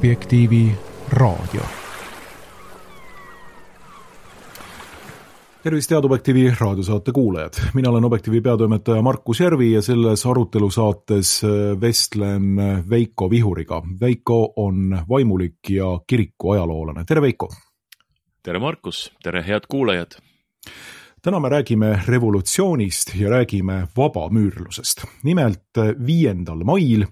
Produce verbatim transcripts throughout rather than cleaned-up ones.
Objektiivi raadio. Tervist, head Objektiivi raadiosaate kuulajad. Mina olen Objektiivi peatoimetaja Markus Järvi ja selles arutelusaates vestlen Veiko Vihuriga. Veiko on vaimulik ja kiriku ajaloolane. Tere, Veiko! Tere, Markus! Tere, head kuulajad! Täna me räägime revolutsioonist ja räägime vabamüürlusest. Nimelt viiendal mail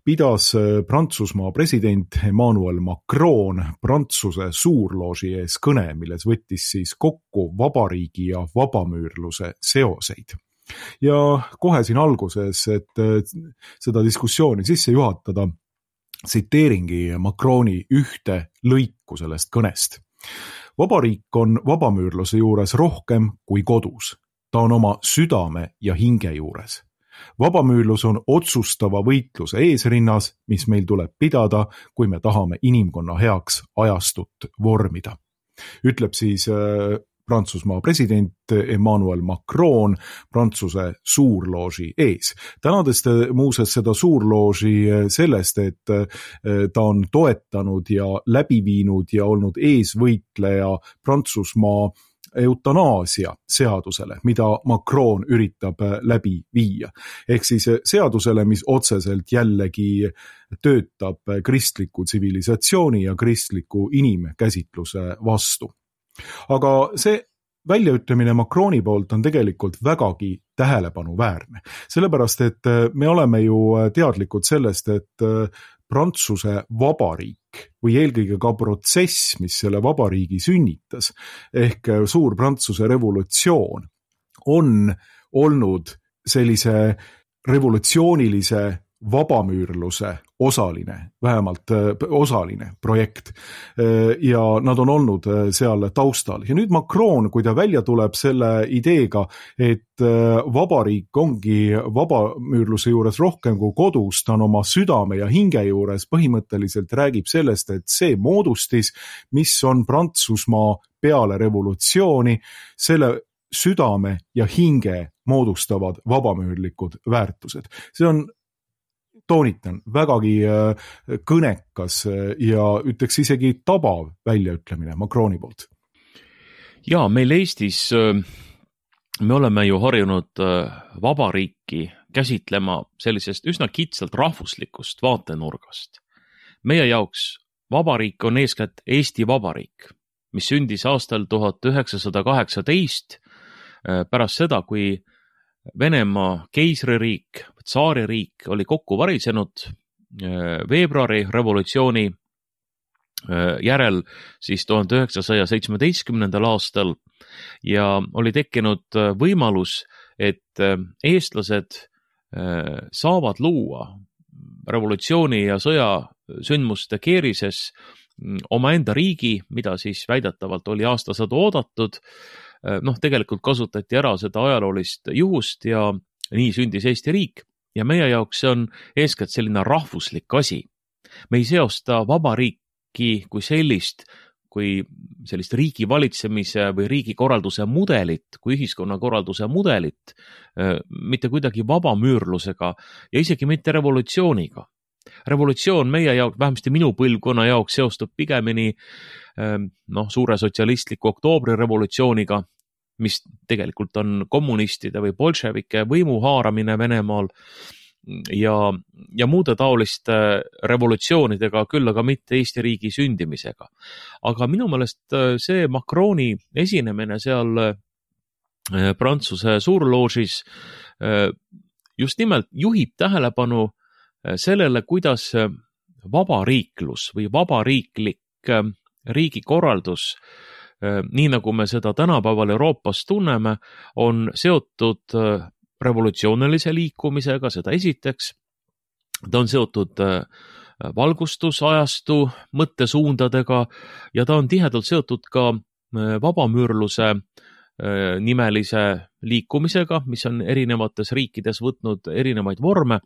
pidas Prantsusmaa president Emmanuel Macron Prantsuse suurlooži ees kõne, milles võttis siis kokku vabariigi ja vabamüürluse seoseid. Ja kohe siin alguses, et seda diskussiooni sisse juhatada, tsiteeringi Macroni ühte lõiku sellest kõnest. Vabariik on vabamüürluse juures rohkem kui kodus. Ta on oma südame ja hinge juures. Vabamüürlus on otsustava võitluse eesrinnas, mis meil tuleb pidada, kui me tahame inimkonna heaks ajastut vormida. Ütleb siis äh, Prantsusmaa president Emmanuel Macron Prantsuse suurlooži ees. Tänades muuseas seda suurlooži sellest, et ta on toetanud ja läbi viinud ja olnud eesvõitleja Prantsusmaa eutanaasia seadusele, mida Macron üritab läbi viia. Ehk siis seadusele, mis otseselt jällegi töötab kristliku tsivilisatsiooni ja kristliku inimkäsitluse vastu. Aga see väljaütlemine Macroni poolt on tegelikult vägagi tähelepanuväärne. Sellepärast, et me oleme ju teadlikud sellest, et Prantsuse vabariik või eelkõige ka protsess, mis selle vabariigi sünnitas, ehk suur Prantsuse revolutsioon, on olnud sellise revolutsioonilise vabamüürluse osaline, vähemalt osaline projekt ja nad on olnud seal taustal. Ja nüüd Macron, kui ta välja tuleb selle ideega, et vabariik ongi vabamüürluse juures rohkem kui kodus, ta on oma südame ja hinge juures, põhimõtteliselt räägib sellest, et see moodustis, mis on Prantsusmaa peale revolutsiooni, selle südame ja hinge moodustavad vabamüürlikud väärtused. See on toonitan, vägagi kõnekas ja ütleks isegi tabav väljaütlemine Macroni poolt. Ja, meil Eestis me oleme ju harjunud vabariiki käsitlema sellisest üsna kitsalt rahvuslikust vaatenurgast. Meie jaoks vabariik on eeskätt Eesti Vabariik, mis sündis aastal tuhat üheksasada kaheksateist pärast seda, kui Venemaa keisririik, tsaaririik oli kokku varisenud veebruari revolutsiooni järel siis tuhande üheksasaja seitsmeteistkümnendal aastal ja oli tekkinud võimalus, et eestlased saavad luua revolutsiooni ja sõja sündmuste keerises omaenda riigi, mida siis väidetavalt oli aastasadu oodatud. Noh, tegelikult kasutati ära seda ajaloolist juhust ja nii sündis Eesti riik ja meie jaoks see on eeskätt selline rahvuslik asi. Me ei seosta vabariiki kui sellist, kui sellist riigi valitsemise või riigikorralduse mudelit, kui ühiskonnakorralduse mudelit, mitte kuidagi vabamüürlusega ja isegi mitte revolutsiooniga. Revolutsioon meie jaoks, vähemasti minu põlvkonna jaoks seostub pigemini noh, suure sotsialistliku oktoobri revolutsiooniga, mis tegelikult on kommunistide või bolševike võimu haaramine Venemaal ja, ja muude taoliste revolutsioonidega, küll aga mitte Eesti riigi sündimisega. Aga minu meelest see Macroni esinemine seal Prantsuse suurloožis just nimelt juhib tähelepanu sellele, kuidas vabariiklus või vabariiklik riigikorraldus, nii nagu me seda tänapäeval Euroopas tunneme, on seotud revolutsioonilise liikumisega, seda esiteks. Ta on seotud valgustusajastu mõttesuundadega ja ta on tihedalt seotud ka vabamüürluse nimelise liikumisega, mis on erinevates riikides võtnud erinevaid vorme.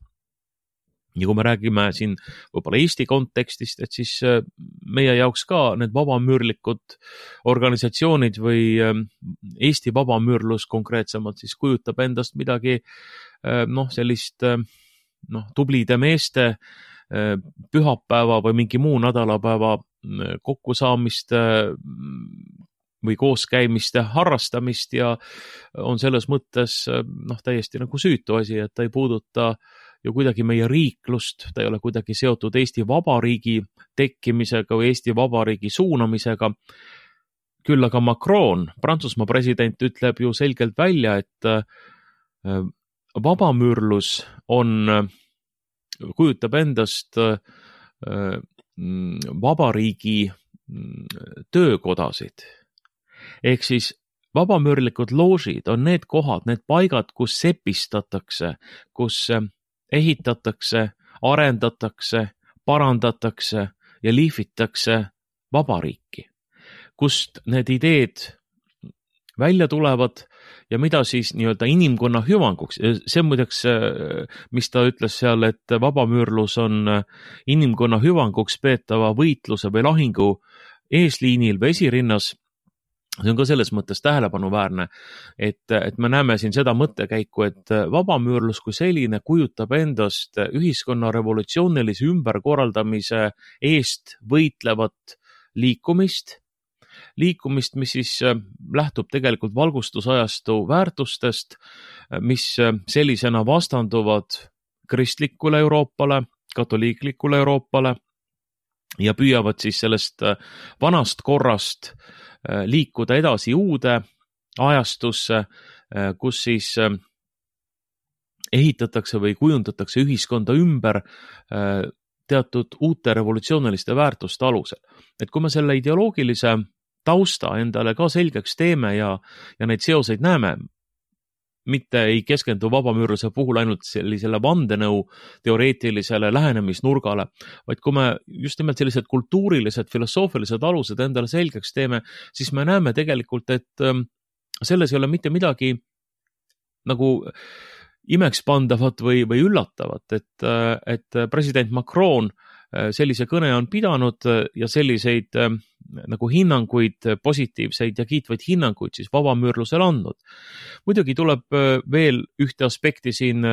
Ja kui me räägime siin võib-olla Eesti kontekstist, et siis meie jaoks ka need vabamüürlikud organisatsioonid või Eesti vabamüürlus konkreetsemalt siis kujutab endast midagi noh, sellist noh, tublide meeste pühapäeva või mingi muu nädalapäeva kokkusaamiste või kooskäimiste harrastamist ja on selles mõttes noh, täiesti nagu süütu asi, et ta ei puuduta ju kuidagi meie riiklust, ta ei ole kuidagi seotud Eesti Vabariigi tekkimisega või Eesti Vabariigi suunamisega. Küll aga Macron, Prantsusmaa president, ütleb ju selgelt välja, et vabamüürlus on, kujutab endast vabariigi töökodasid. Ehk siis vabamüürlikud loožid on need kohad, need paigad, kus sepistatakse, kus ehitatakse, arendatakse, parandatakse ja liifitakse vabariiki, kust need ideed välja tulevad ja mida siis nii-öelda inimkonna hüvanguks. See muideks, mis ta ütles seal, et vabamüürlus on inimkonna hüvanguks peetava võitluse või lahingu eesliinil või esirinnas. See on ka selles mõttes tähelepanuväärne, et, et me näeme siin seda mõttekäiku, et vabamüürlus kui selline kujutab endast ühiskonna revolutsioonilise ümberkorraldamise eest võitlevat liikumist, liikumist, mis siis lähtub tegelikult valgustusajastu väärtustest, mis sellisena vastanduvad kristlikule Euroopale, katoliiklikule Euroopale ja püüavad siis sellest vanast korrast liikuda edasi uude ajastusse, kus siis ehitatakse või kujundatakse ühiskonda ümber teatud uute revolutsiooniliste väärtuste alusel. Et kui me selle ideoloogilise tausta endale ka selgeks teeme ja, ja neid seoseid näeme, mitte ei keskendu vabamüürluse puhul ainult sellisele vandenõu teoreetilisele lähenemisnurgale, vaid kui me just nimelt sellised kultuurilised, filosoofilised alused endale selgeks teeme, siis me näeme tegelikult, et selles ei ole mitte midagi nagu imekspandavat või, või üllatavat, et, et president Macron sellise kõne on pidanud ja selliseid nagu hinnanguid, positiivseid ja kiitvaid hinnanguid siis vabamüürlusele andnud. Muidugi tuleb veel ühte aspekti siin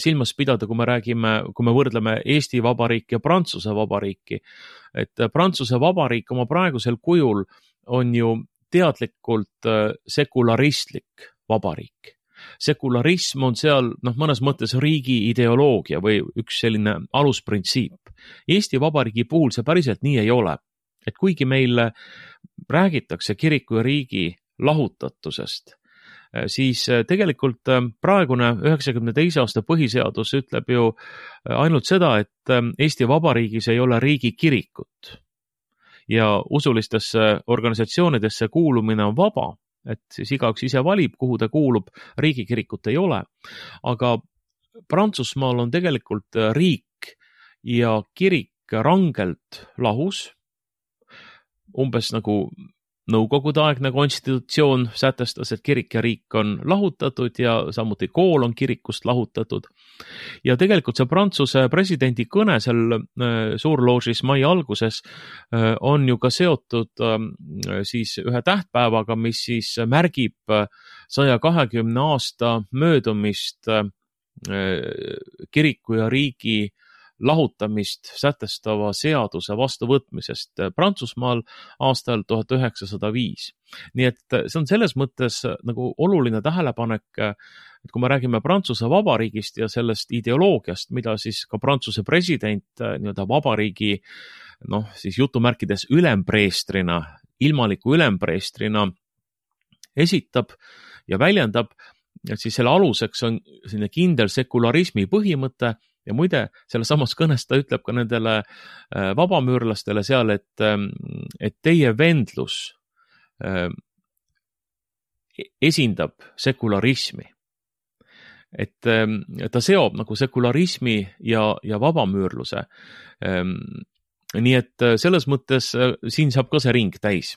silmas pidada, kui me räägime, kui me võrdleme Eesti Vabariiki ja Prantsuse Vabariiki. Et Prantsuse Vabariik oma praegusel kujul on ju teadlikult sekularistlik vabariik. Sekularism on seal noh, mõnes mõttes riigi ideoloogia või üks selline alusprintsiip. Eesti Vabariigi puhul see päriselt nii ei ole. Et kuigi meil räägitakse kiriku ja riigi lahutatusest, siis tegelikult praegune üheksakümne teise aasta põhiseadus ütleb ju ainult seda, et Eesti Vabariigis ei ole riigi kirikut ja usulistesse organisatsioonidesse kuulumine on vaba, et siis igaüks ise valib, kuhu ta kuulub, riigikirikut ei ole. Aga Prantsusmaal on tegelikult riik ja kirik rangelt lahus, umbes nagu Nõukogude aegne konstitutsioon sätestas, et kirik ja riik on lahutatud ja samuti kool on kirikust lahutatud. Ja tegelikult see Prantsuse presidendi kõne seal suurloožis mai alguses on ju ka seotud siis ühe tähtpäevaga, mis siis märgib saja kahekümne aasta möödumist kiriku ja riigi lahutamist sätestava seaduse vastuvõtmisest Prantsusmaal aastal tuhat üheksasada viis. Nii et see on selles mõttes nagu oluline tähelepanek, et kui me räägime Prantsuse Vabariigist ja sellest ideoloogiast, mida siis ka Prantsuse president nii-öelda vabariigi noh, siis jutumärkides ülempreestrina, ilmaliku ülempreestrina esitab ja väljendab, et siis selle aluseks on selline kindel sekularismi põhimõte. Ja muide, selle samas kõnes ta ütleb ka nendele vabamüürlastele seal, et, et teie vendlus esindab sekularismi. Et ta seob nagu sekularismi ja, ja vabamüürluse. Nii et selles mõttes siin saab ka see ring täis.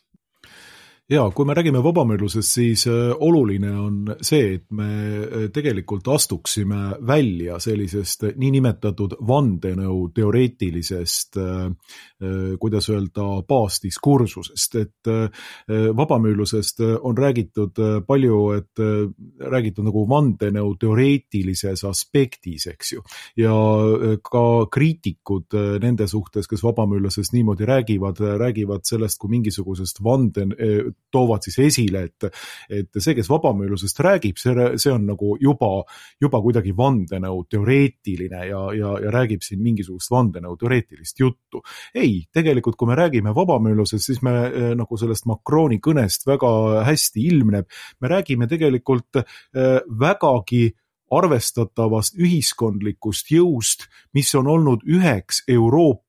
Ja, kui me räägime vabamüürlusest, siis oluline on see, et me tegelikult astuksime välja sellisest niinimetatud vandenõu teoreetilisest, kuidas öelda, baasdiskursusest, et vabamüürlusest on räägitud palju, et räägitud nagu vandenõu teoreetilises aspektis, eks ju, ja ka kriitikud nende suhtes, kes vabamüürlusest niimoodi räägivad, räägivad sellest kui mingisugusest vanden toovad siis esile, et, et see, kes vabamüürlusest räägib, see, see on nagu juba, juba kuidagi vandenõu teoreetiline ja, ja, ja räägib siin mingisugust vandenõu teoreetilist juttu. Ei, tegelikult kui me räägime vabamüürlusest, siis me nagu sellest Macroni kõnest väga hästi ilmneb. Me räägime tegelikult vägagi arvestatavast ühiskondlikust jõust, mis on olnud üheks Euroopa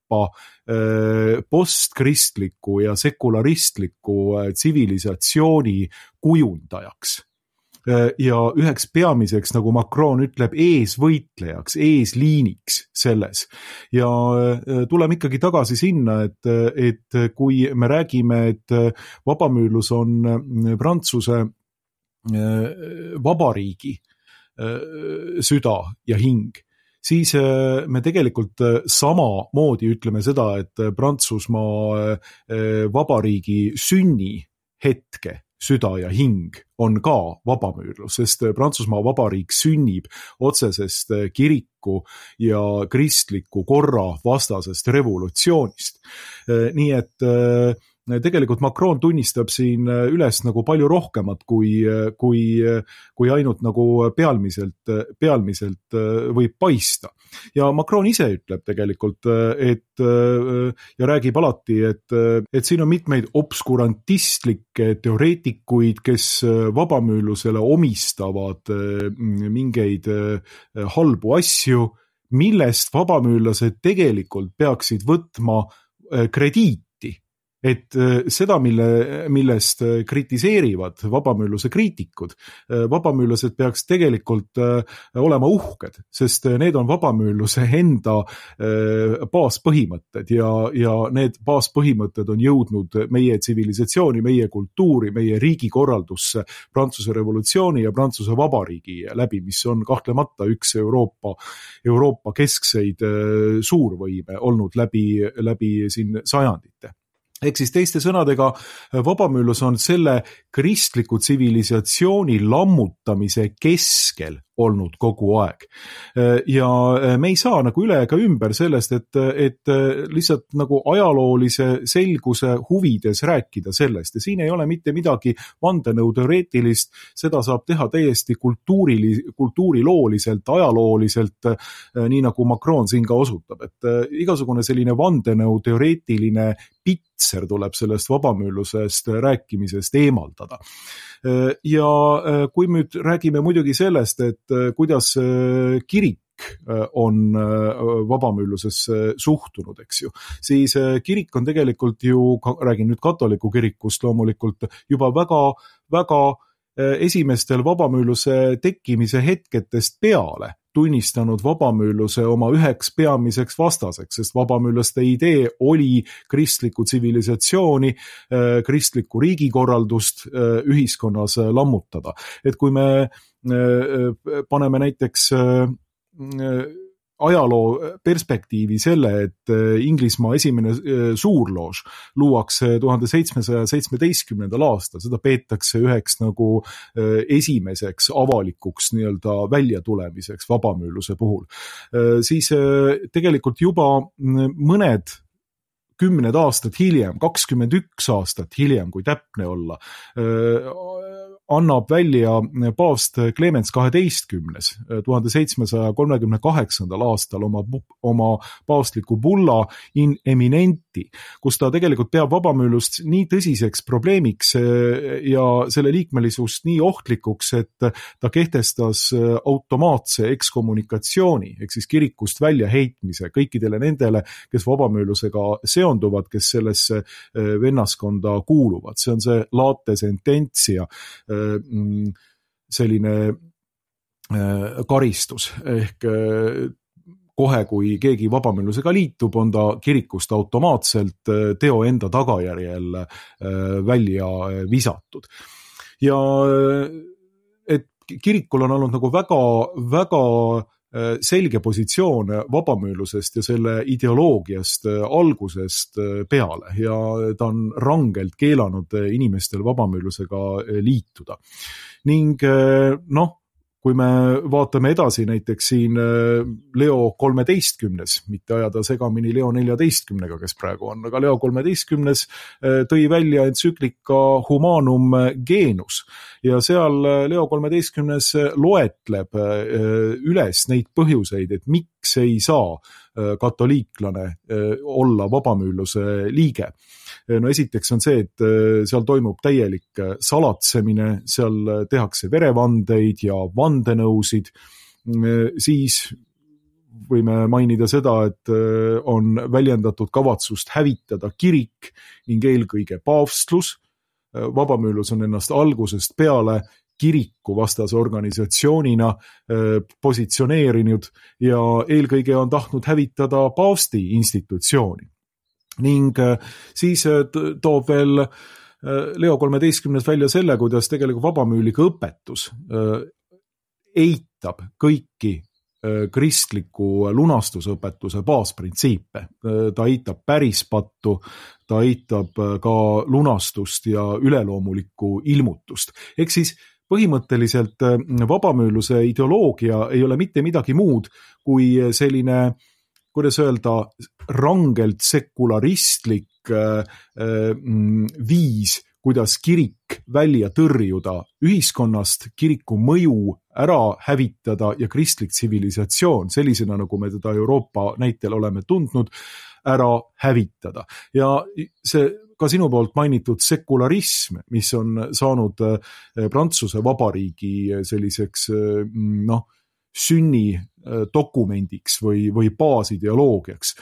postkristliku ja sekularistliku tsivilisatsiooni kujundajaks. Ja üheks peamiseks, nagu Macron ütleb, eesvõitlejaks, eesliiniks selles. Ja tuleme ikkagi tagasi sinna, et, et kui me räägime, et vabamüürlus on Prantsuse vabariigi süda ja hing, siis me tegelikult samamoodi ütleme seda, et Prantsusmaa vabariigi sünni hetke süda ja hing on ka vabamüürlus, sest Prantsusmaa vabariik sünnib otsesest kiriku ja kristliku korra vastasest revolutsioonist. Nii et tegelikult Macron tunnistab siin üles nagu palju rohkemat kui, kui, kui ainult nagu pealmiselt, pealmiselt võib paista. Ja Macron ise ütleb tegelikult, et, ja räägib alati, et, et siin on mitmeid obskurantistlikke teoreetikuid, kes vabamüürlusele omistavad mingeid halbu asju, millest vabamüürlased tegelikult peaksid võtma krediiti. Et seda, mille, millest kritiseerivad vabamüürluse kriitikud, vabamüürlased peaks tegelikult olema uhked, sest need on vabamüürluse enda baaspõhimõtted ja, ja need baaspõhimõtted on jõudnud meie tsivilisatsiooni, meie kultuuri, meie riigikorraldusse Prantsuse revolutsiooni ja Prantsuse vabariigi läbi, mis on kahtlemata üks Euroopa, Euroopa keskseid suurvõime olnud läbi, läbi siin sajandite. Ehk siis teiste sõnadega, vabamüürlus on selle kristliku tsivilisatsiooni lammutamise keskel olnud kogu aeg. Ja me ei saa nagu üle ega ümber sellest, et, et lihtsalt nagu ajaloolise selguse huvides rääkida sellest. Ja siin ei ole mitte midagi vandenõu teoreetilist, seda saab teha täiesti kultuuri, kultuurilooliselt, ajalooliselt, nii nagu Macron siin ka osutab. Et igasugune selline vandenõu teoreetiline pitser tuleb sellest vabamüürlusest rääkimisest eemaldada. Ja kui me nüüd räägime muidugi sellest, et kuidas kirik on vabamüürlusesse suhtunud, eks ju, siis kirik on tegelikult ju, räägin nüüd katoliku kirikust loomulikult, juba väga, väga esimestel vabamüürluse tekkimise hetketest peale tunnistanud vabamüürluse oma üheks peamiseks vastaseks, sest vabamüürlaste idee oli kristlikku tsivilisatsiooni, kristlikku riigikorraldust ühiskonnas lammutada. Et kui me paneme näiteks ajaloo perspektiivi selle, et Inglismaa esimene suurloož luuakse tuhande seitsmesaja seitsmeteistkümnendal aastal, seda peetakse üheks nagu esimeseks avalikuks nii-öelda väljatulemiseks vabamüürluse puhul. Siis tegelikult juba mõned kümned aastad hiljem, kakskümmend üks aastat hiljem, kui täpne olla, annab välja paavst Clemens kaheteistkümnes tuhande seitsmesaja kolmekümne kaheksandal aastal oma, oma paavstliku bulla in eminenti, kus ta tegelikult peab vabamüürlust nii tõsiseks probleemiks ja selle liikmelisust nii ohtlikuks, et ta kehtestas automaatse ekskommunikatsiooni, ehk siis kirikust väljaheitmise kõikidele nendele, kes vabamüürlusega seonduvad, kes sellesse vennaskonda kuuluvad. See on see late sententia, selline karistus ehk kohe, kui keegi vabamüürlusega liitub, on ta kirikust automaatselt teo enda tagajärjel välja visatud. Ja et kirikul on olnud nagu väga, väga selge positsioon vabamüürlusest ja selle ideoloogiast algusest peale ja ta on rangelt keelanud inimestel vabamüürlusega liituda. Ning noh, kui me vaatame edasi näiteks siin Leo kolmeteistkümnes, mitte ajada segamini Leo neljateistkümnega, kes praegu on, aga Leo kolmeteistkümnes tõi välja entsüklika Humanum Genus ja seal Leo kolmeteistkümnes loetleb üles neid põhjuseid, et miks ei saa katoliiklane olla vabamüürluse liige. No esiteks on see, et seal toimub täielik salatsemine, seal tehakse verevandeid ja vandenõusid, siis võime mainida seda, et on väljendatud kavatsust hävitada kirik ning eelkõige paavstlus. Vabamüürlus on ennast algusest peale kiriku vastase organisatsioonina positsioneerinud ja eelkõige on tahtnud hävitada paavsti institutsiooni. Ning siis toob veel Leo kolmeteistkümnes välja selle, kuidas tegelikult vabamüürlike õpetus eitab kõiki kristliku lunastusõpetuse baasprintsiipe. Ta eitab pärispattu, ta eitab ka lunastust ja üleloomulikku ilmutust. Ehk siis põhimõtteliselt vabamüürluse ideoloogia ei ole mitte midagi muud kui selline, kuidas öelda, rangelt sekularistlik viis, kuidas kirik välja tõrjuda ühiskonnast, kiriku mõju ära hävitada ja kristlik tsivilisatsioon, sellisena nagu me teda Euroopa näitel oleme tundnud, ära hävitada. Ja see ka sinu poolt mainitud sekularism, mis on saanud Prantsuse Vabariigi selliseks noh, sünni dokumendiks või, või baasideoloogiaks.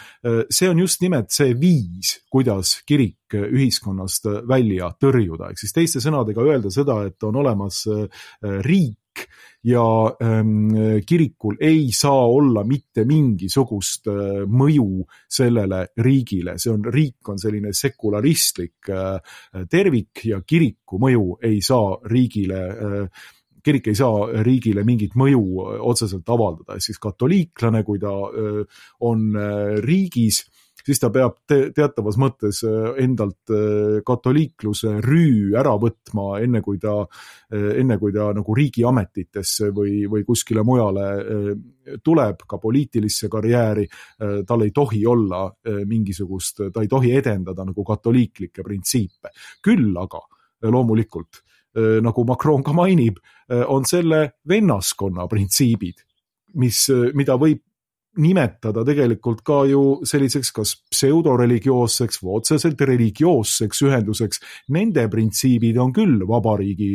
See on just nimelt see viis, kuidas kirik ühiskonnast välja tõrjuda. Ehk siis teiste sõnadega öelda seda, et on olemas riik ja kirikul ei saa olla mitte mingisugust mõju sellele riigile. See on, riik on selline sekularistlik tervik ja kiriku mõju ei saa riigile kirik ei saa riigile mingit mõju otseselt avaldada. Siis katoliiklane, kui ta on riigis, siis ta peab te- teatavas mõttes endalt katoliikluse rüü ära võtma, enne kui ta, enne kui ta nagu riigiametitesse või, või kuskile mujale tuleb, ka poliitilisse karjääri, tal ei tohi olla mingisugust, ta ei tohi edendada nagu katoliiklikke printsiipe. Küll aga loomulikult, nagu Macron ka mainib, on selle vennaskonna printsiibid, mis, mida võib nimetada tegelikult ka ju selliseks kas pseudoreligioosseks või otseselt religioosseks ühenduseks. Nende printsiibid on küll vabariigi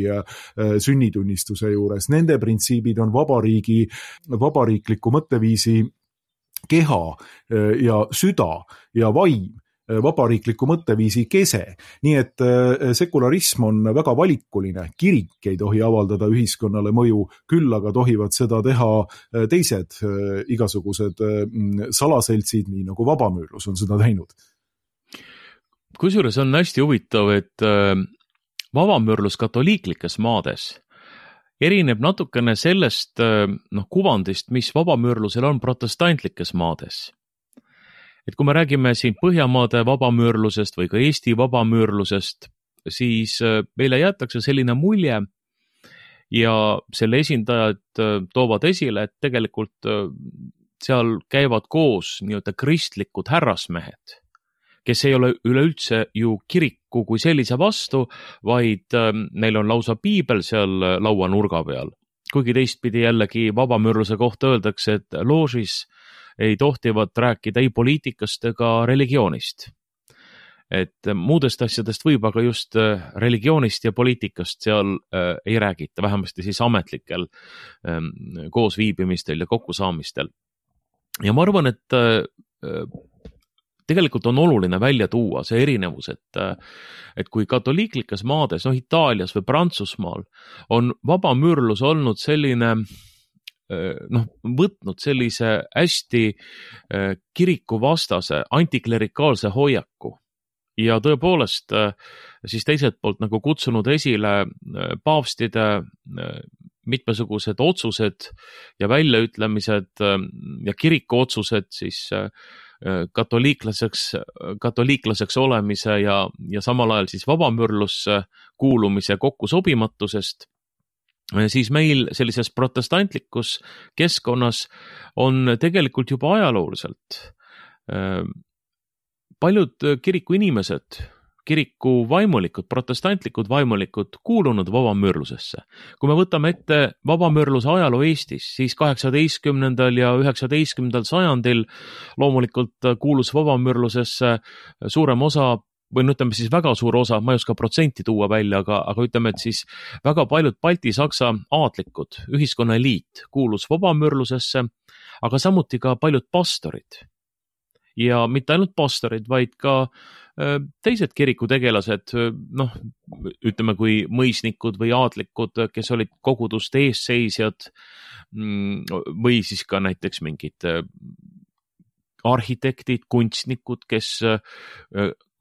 sünnitunnistuse juures, nende printsiibid on vabariigi, vabariikliku mõtteviisi keha ja süda ja vaim, vabariikliku mõtteviisi kese. Nii et sekularism on väga valikuline. Kirik ei tohi avaldada ühiskonnale mõju, küll aga tohivad seda teha teised igasugused salaseltsid, nii nagu vabamüürlus on seda teinud. Kusjuures on hästi huvitav, et vabamüürlus katoliiklikes maades erineb natukene sellest noh, kuvandist, mis vabamüürlusel on protestantlikes maades. Et kui me räägime siin Põhjamaade vabamüürlusest või ka Eesti vabamüürlusest, siis meile jäetakse selline mulje ja selle esindajad toovad esile, et tegelikult seal käivad koos nii-öelda kristlikud härrasmehed, kes ei ole üleüldse ju kiriku kui sellise vastu, vaid neil on lausa piibel seal lauanurga peal. Kuigi teistpidi jällegi vabamüürluse kohta öeldakse, et loožis ei tohtivat rääkida ei poliitikast ega religioonist. Et muudest asjadest võib, aga just religioonist ja poliitikast seal äh, ei räägita, vähemasti siis ametlikel äh, koosviibimistel ja kokkusaamistel. Ja ma arvan, et äh, tegelikult on oluline välja tuua see erinevus, et, et kui katoliiklikes maades, noh Itaalias või Prantsusmaal, on vabamüürlus olnud selline noh, võtnud sellise hästi kirikuvastase antiklerikaalse hoiaku ja tõepoolest siis teiselt poolt nagu kutsunud esile paavstide mitmesugused otsused ja väljaütlemised ja kiriku otsused siis katoliiklaseks, katoliiklaseks olemise ja, ja samal ajal siis vabamüürlusse kuulumise kokkusobimatusest, siis meil sellises protestantlikus keskkonnas on tegelikult juba ajalooliselt paljud kiriku inimesed, kiriku vaimulikud, protestantlikud vaimulikud kuulunud vabamüürlusesse. Kui me võtame ette vabamüürluse ajaloo Eestis, siis kaheksateistkümnendal ja üheksateistkümnendal sajandil loomulikult kuulus vabamüürlusesse suurem osa, või no ütleme siis väga suur osa, ma ei oska protsenti tuua välja, aga, aga ütleme, et siis väga paljud Balti-Saksa aadlikud, ühiskonna eliit kuulus vabamüürlusesse, aga samuti ka paljud pastorid. Ja mitte ainult pastorid, vaid ka teised kirikutegelased, noh, ütleme kui mõisnikud või aadlikud, kes olid koguduste eesseisjad või siis ka näiteks mingid arhitektid, kunstnikud, kes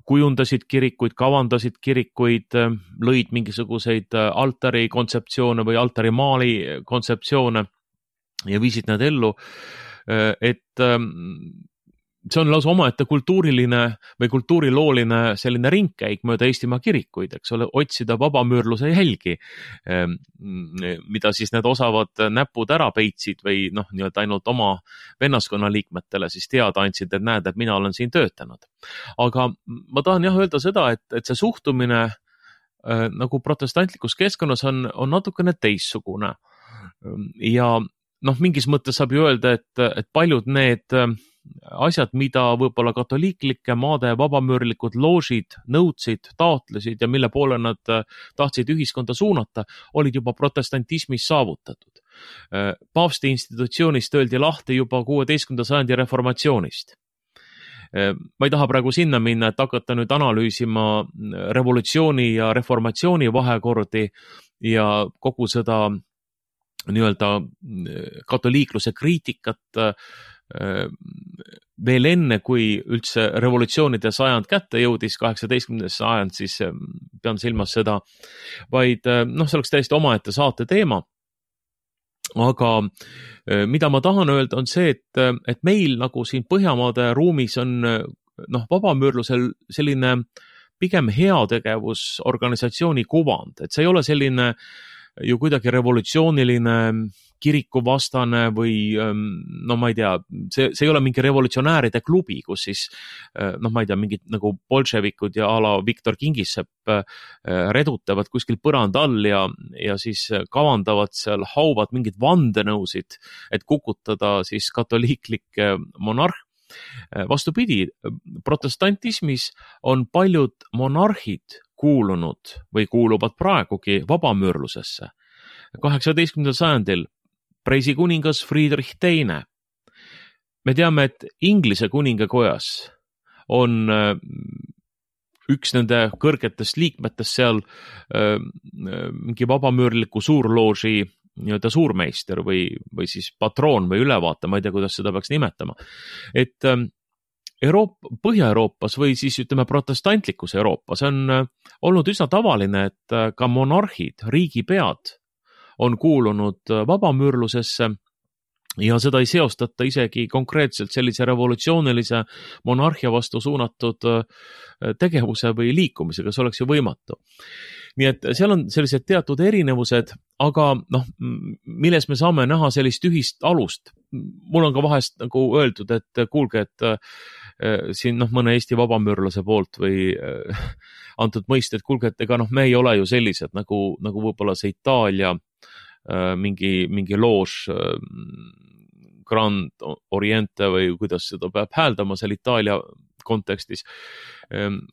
kujundasid kirikuid, kavandasid kirikuid, lõid mingisuguseid altari kontseptsioone või altari maali kontseptsioone ja viisid need ellu, et see on lausa omaette kultuuriline või kultuurilooline selline ringkäik mööda Eestimaa kirikuid, eks ole, otsida vabamüürluse jälgi, mida siis need osavad näpud ära peitsid või noh, nii-öelda ainult oma vennaskonna liikmetele siis teada andsid, et näed, et mina olen siin töötanud. Aga ma tahan jah öelda seda, et, et see suhtumine äh, nagu protestantlikus keskkonnas on, on natukene teissugune ja noh, mingis mõttes saab ju öelda, et, et paljud need asjad, mida võib-olla katoliiklike maade vabamüürlikud loožid nõudsid, taotlesid ja mille poole nad tahtsid ühiskonda suunata, olid juba protestantismis saavutatud. Paavsti institutsioonist öeldi lahti juba kuueteistkümnenda sajandi reformatsioonist. Ma ei taha praegu sinna minna, et hakata nüüd analüüsima revolutsiooni ja reformatsiooni vahekordi ja kogu seda nii-öelda katoliikluse kriitikat veel enne, kui üldse revolutsioonide sajand kätte jõudis, kaheksateistkümnes sajand, siis pean silmas seda, vaid noh, see oleks täiesti omaette saate teema. Aga mida ma tahan öelda on see, et, et meil nagu siin Põhjamaade ruumis on noh, vabamüürlusel selline pigem heategevusorganisatsiooni kuvand, et see ei ole selline ju kuidagi revolutsiooniline kirikuvastane või no ma ei tea, see, see ei ole mingi revolutsionääride klubi, kus siis noh, ma ei tea, mingid nagu bolševikud ja a la Viktor Kingissepp redutavad kuskil põranda all ja, ja siis kavandavad seal, hauvad mingid vandenõusid, et kukutada siis katoliiklik monarh. Vastupidi, protestantismis on paljud monarhid kuulunud või kuuluvad praegugi vabamüürlusesse. kaheksateistkümnendal sajandil Preisi kuningas Friedrich teine. Me teame, et Inglise kuningakojas on üks nende kõrgetest liikmetest seal mingi vabamüürliku suurlooži nii-öelda suurmeister või, või siis patroon või ülevaate, ma ei tea, kuidas seda peaks nimetama. Et Euroopa, Põhja-Euroopas või siis ütleme protestantlikus Euroopas on olnud üsna tavaline, et ka monarhid, riigipead on kuulunud vabamüürlusesse ja seda ei seostata isegi konkreetselt sellise revolutsioonilise monarhia vastu suunatud tegevuse või liikumisega, see oleks ju võimatu. Nii et seal on sellised teatud erinevused, aga noh, milles me saame näha sellist ühist alust. Mul on ka vahest nagu öeldud, et kuulge, et äh, siin noh, mõne Eesti vabamüürlase poolt või äh, antud mõiste, et kuulge, et ega noh, me ei ole ju sellised nagu, nagu võib-olla see Itaalia äh, mingi, mingi loož äh, Grand Oriente või kuidas seda peab hääldama seal Itaalia kontekstis,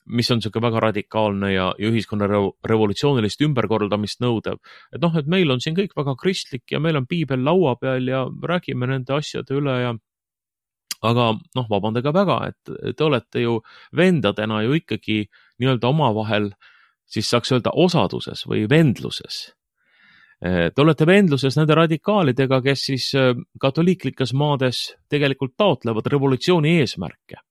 mis on selline väga radikaalne ja, ja ühiskonna revolutsioonilist ümberkordamist nõudev. Et noh, et meil on siin kõik väga kristlik ja meil on piibel laua peal ja räägime nende asjade üle ja aga noh, vabandage väga, et te olete ju vendadena ju ikkagi nii-öelda omavahel, siis saaks öelda osaduses või vendluses. Te olete vendluses nende radikaalidega, kes siis katoliiklikes maades tegelikult taotlevad revolutsiooni eesmärke.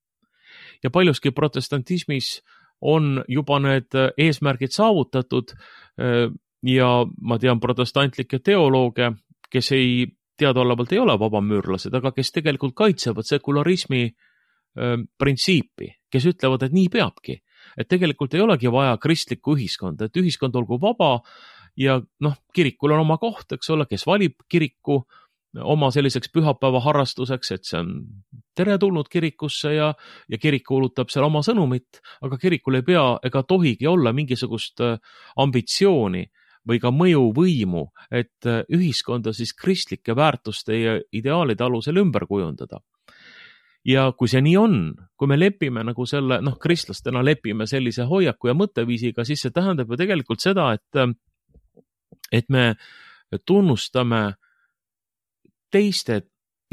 Ja paljuski protestantismis on juba need eesmärgid saavutatud ja ma tean protestantlikke teolooge, kes ei teadaolevalt ei ole vabamüürlased, aga kes tegelikult kaitsevad sekularismi printsiipi, kes ütlevad, et nii peabki. Et tegelikult ei olegi vaja kristlikku ühiskonda, et ühiskond olgu vaba ja noh, kirikul on oma koht, eks ole, kes valib kiriku oma selliseks pühapäeva harrastuseks, et see on teretulnud kirikusse ja, ja kirik kuulutab seal oma sõnumit, aga kirikul ei pea ega tohigi olla mingisugust ambitsiooni või ka mõjuvõimu, et ühiskonda siis kristlike väärtuste ja ideaalide alusel ümber kujundada. Ja kui see nii on, kui me lepime nagu selle, noh, kristlastena lepime sellise hoiaku ja mõtteviisiga, siis see tähendab ju tegelikult seda, et, et me tunnustame teiste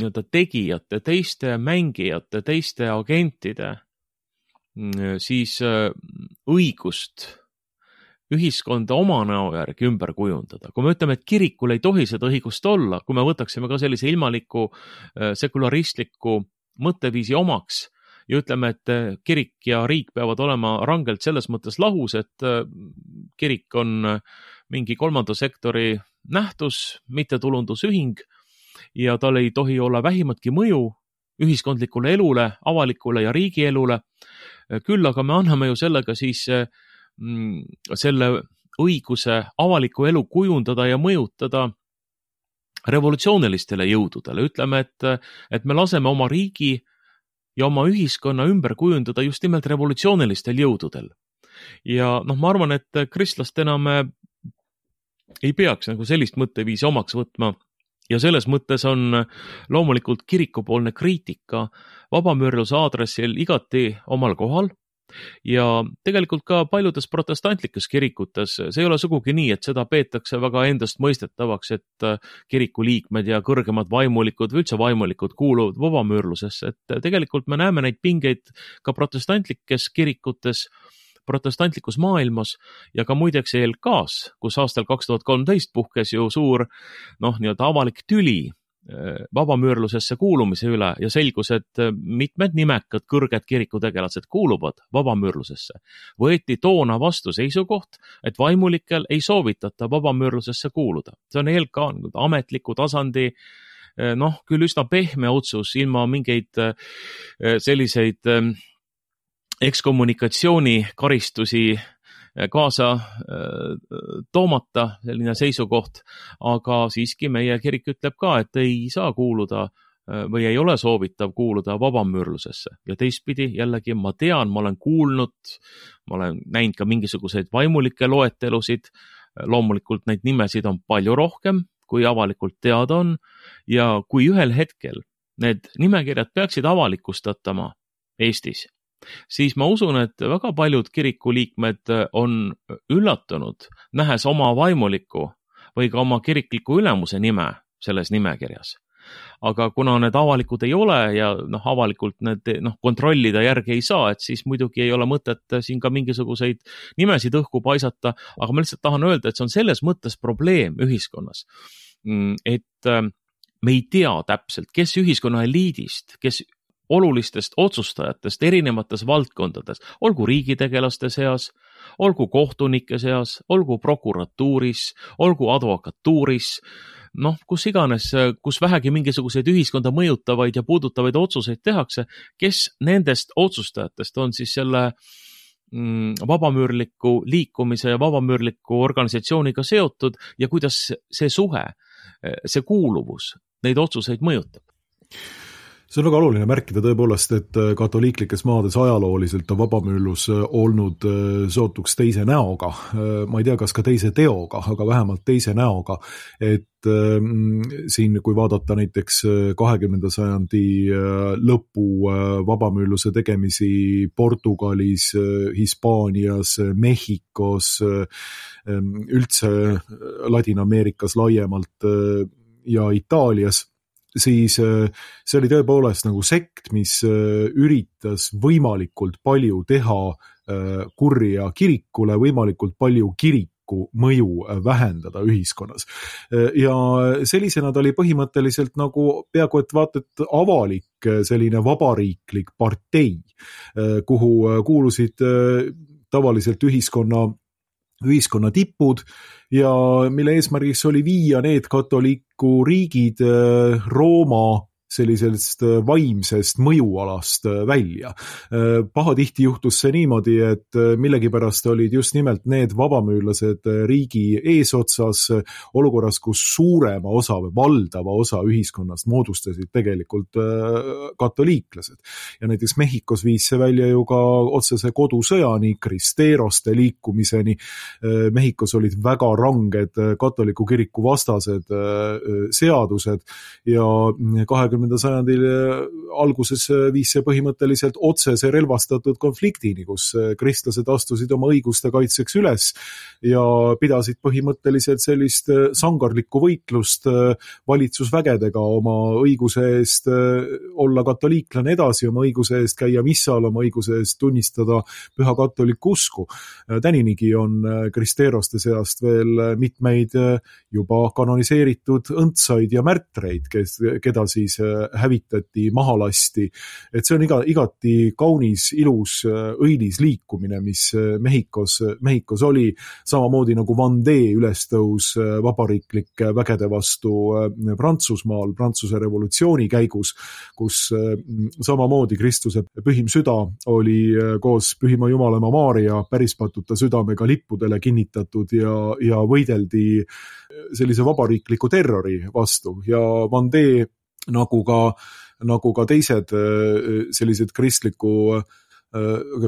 nii-öelda tegijate, teiste mängijate, teiste agentide siis õigust ühiskonda oma näo järgi ümber kujundada. Kui me ütleme, et kirikul ei tohi seda õigust olla, kui me võtaksime ka sellise ilmaliku sekularistliku mõtteviisi omaks ja ütleme, et kirik ja riik peavad olema rangelt selles mõttes lahus, et kirik on mingi kolmanda sektori nähtus, mittetulundusühing ja tal ei tohi olla vähimatki mõju ühiskondlikule elule, avalikule ja riigielule. Küll aga me anname ju sellega siis selle õiguse avaliku elu kujundada ja mõjutada revolutsioonilistele jõududele. Ütleme, et, et me laseme oma riigi ja oma ühiskonna ümber kujundada just nimelt revolutsioonilistel jõududel. Ja noh, ma arvan, et kristlastena me ei peaks nagu sellist mõtteviisi omaks võtma ja selles mõttes on loomulikult kirikupoolne kriitika vabamüürluse aadressil igati omal kohal. Ja tegelikult ka paljudes protestantlikes kirikutes see ei ole sugugi nii, et seda peetakse väga endast mõistetavaks, et kiriku liikmed ja kõrgemad vaimulikud või üldse vaimulikud kuuluvad vabamüürlusesse, et tegelikult me näeme neid pingeid ka protestantlikes kirikutes, protestantlikus maailmas ja ka muideks E L K-s, kus aastal kaks tuhat kolmteist puhkes ju suur noh, nii-öelda avalik tüli vabamüürlusesse kuulumise üle ja selgus, et mitmed nimekad kõrged kirikutegelased kuuluvad vabamüürlusesse. Võeti toona vastu seisukoht, et vaimulikel ei soovitata vabamüürlusesse kuuluda. See on E L K ametliku tasandi, noh, küll üsna pehme otsus, ilma mingeid selliseid ekskommunikatsiooni karistusi kaasa toomata selline seisukoht, aga siiski meie kirik ütleb ka, et ei saa kuuluda või ei ole soovitav kuuluda vabamüürlusesse. Ja teistpidi jällegi ma tean, ma olen kuulnud, ma olen näinud ka mingisuguseid vaimulikke loetelusid, loomulikult neid nimesid on palju rohkem, kui avalikult teada on ja kui ühel hetkel need nimekirjad peaksid avalikustatama Eestis, siis ma usun, et väga paljud kirikuliikmed on üllatunud, nähes oma vaimuliku või ka oma kirikliku ülemuse nime selles nimekirjas. Aga kuna need avalikud ei ole ja noh, avalikult need noh, kontrollida järgi ei saa, et siis muidugi ei ole mõtet siin ka mingisuguseid nimesid õhku paisata, aga ma lihtsalt tahan öelda, et see on selles mõttes probleem ühiskonnas, et me ei tea täpselt, kes ühiskonna eliidist, kes olulistest otsustajatest erinevates valdkondades, olgu riigitegelaste seas, olgu kohtunike seas, olgu prokuratuuris, olgu advokatuuris, noh, kus iganes, kus vähegi mingisuguseid ühiskonda mõjutavaid ja puudutavaid otsuseid tehakse, kes nendest otsustajatest on siis selle mm, vabamüürliku liikumise ja vabamüürliku organisatsiooniga seotud ja kuidas see suhe, see kuuluvus neid otsuseid mõjutab. See on väga oluline märkida tõepoolest, et katoliiklikes maades ajalooliselt on vabamüürlus olnud seotuks teise näoga. Ma ei tea, kas ka teise teoga, aga vähemalt teise näoga. Et siin, kui vaadata näiteks kahekümnenda sajandi lõpu vabamüürluse tegemisi Portugalis, Hispaanias, Mehhikos, üldse Ladina-Ameerikas laiemalt ja Itaalias, siis see oli tõepoolest nagu sekt, mis üritas võimalikult palju teha kurja kirikule, võimalikult palju kirik katoliku mõju vähendada ühiskonnas. Ja sellisena ta oli põhimõtteliselt nagu peaaegu et vaata, et avalik selline vabariiklik partei, kuhu kuulusid tavaliselt ühiskonna ühiskonna tipud ja mille eesmärgiks oli viia need katoliku riigid Rooma sellisest vaimsest mõjualast välja. Pahatihti juhtus see niimoodi, et millegipärast olid just nimelt need vabamüürlased riigi eesotsas olukorras, kus suurema osa või valdava osa ühiskonnast moodustasid tegelikult katoliiklased. Ja näiteks Mehhikos viis see välja ju ka otsese kodusõjani, kristeeroste liikumiseni. Mehhikos olid väga ranged katoliku kiriku vastased seadused ja kahekümnenda sajandil alguses viis see põhimõtteliselt otsese relvastatud konfliktini, kus kristlased astusid oma õiguste kaitseks üles ja pidasid põhimõtteliselt sellist sangarlikku võitlust valitsusvägedega oma õiguse eest olla katoliiklane edasi, oma õiguse eest käia missal, oma õiguse eest tunnistada püha katoliku usku. Täninigi on kristeeroste seast veel mitmeid juba kanoniseeritud õndsaid ja märtreid, kes, keda siis hävitati, mahalasti. Et see on iga, igati kaunis, ilus, õilis liikumine, mis Mehhikos, Mehhikos oli, samamoodi nagu Vendée ülestõus vabariiklike vägede vastu Prantsusmaal, Prantsuse revolutsiooni käigus, kus samamoodi Kristuse pühim süda oli koos pühima Jumalema Maaria pärispatuta südamega lippudele kinnitatud ja, ja võideldi sellise vabariikliku terrori vastu ja Vendée nagu ka, nagu ka teised sellised kristliku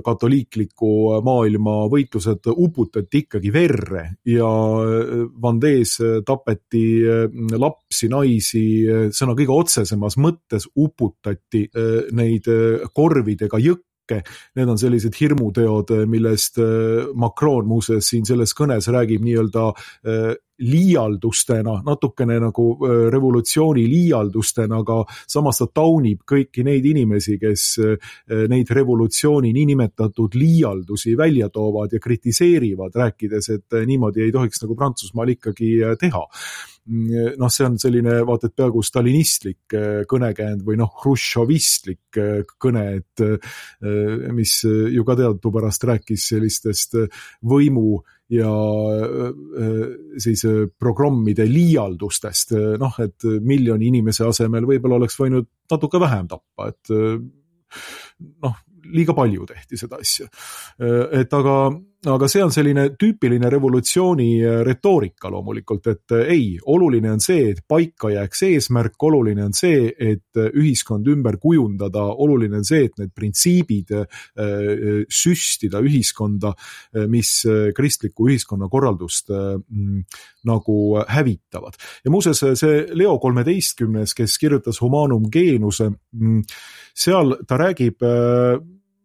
katoliikliku maailma võitlused uputati ikkagi verre ja Vendées tapeti lapsi, naisi, sõna kõige otsesemas mõttes uputati neid korvidega jõkke. Need on sellised hirmuteod, millest Macron muuseas siin selles kõnes räägib nii-öelda liialdustena, natukene nagu revolutsiooni liialdustena, aga samas ta taunib kõiki neid inimesi, kes neid revolutsiooni niinimetatud liialdusi välja toovad ja kritiseerivad, rääkides, et niimoodi ei tohiks nagu Prantsusmaal ikkagi teha. Noh, see on selline vaata, et peaaegu stalinistlik kõnekäänd või noh, hruštšovistlik kõne, et mis ju ka teadupärast rääkis sellistest võimu ja siis programmide liialdustest, noh, et miljoni inimese asemel võib-olla oleks võinud natuke vähem tappa, et noh, liiga palju tehti seda asja. Et aga, aga see on selline tüüpiline revolutsiooni retoorika loomulikult, et ei, oluline on see, et paika jääks eesmärk, oluline on see, et ühiskond ümber kujundada, oluline on see, et need printsiibid süstida ühiskonda, mis kristliku ühiskonna korraldust nagu hävitavad. Ja muuseas, see Leo kolmeteistkümnes, kes kirjutas Humanum Genuse, seal ta räägib,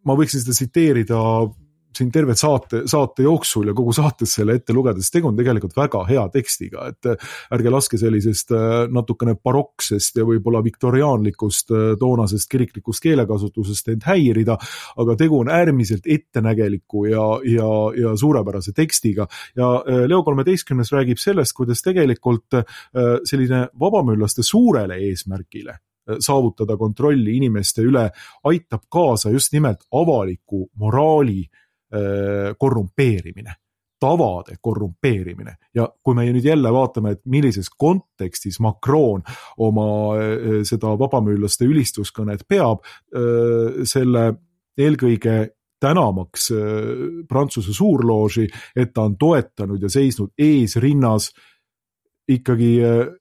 ma võiksin seda tsiteerida siin terve saate, saate jooksul ja kogu saates selle ette lugedes, tegu on tegelikult väga hea tekstiga, et ärge laske sellisest natukene baroksest ja võib-olla viktoriaanlikust toonasest kiriklikust keelekasutusest end häirida, aga tegu on äärmiselt ettenägeliku ja, ja, ja suurepärase tekstiga. Ja Leo kolmeteistkümnes räägib sellest, kuidas tegelikult selline vabamüürlaste suurele eesmärgile saavutada kontrolli inimeste üle aitab kaasa just nimelt avaliku moraali korrumpeerimine, tavade korrumpeerimine. Ja kui me nüüd jälle vaatame, et millises kontekstis Macron oma seda vabamüürlaste ülistuskõnet peab, selle eelkõige tänamaks Prantsuse suurlooži, et ta on toetanud ja seisnud eesrinnas ikkagi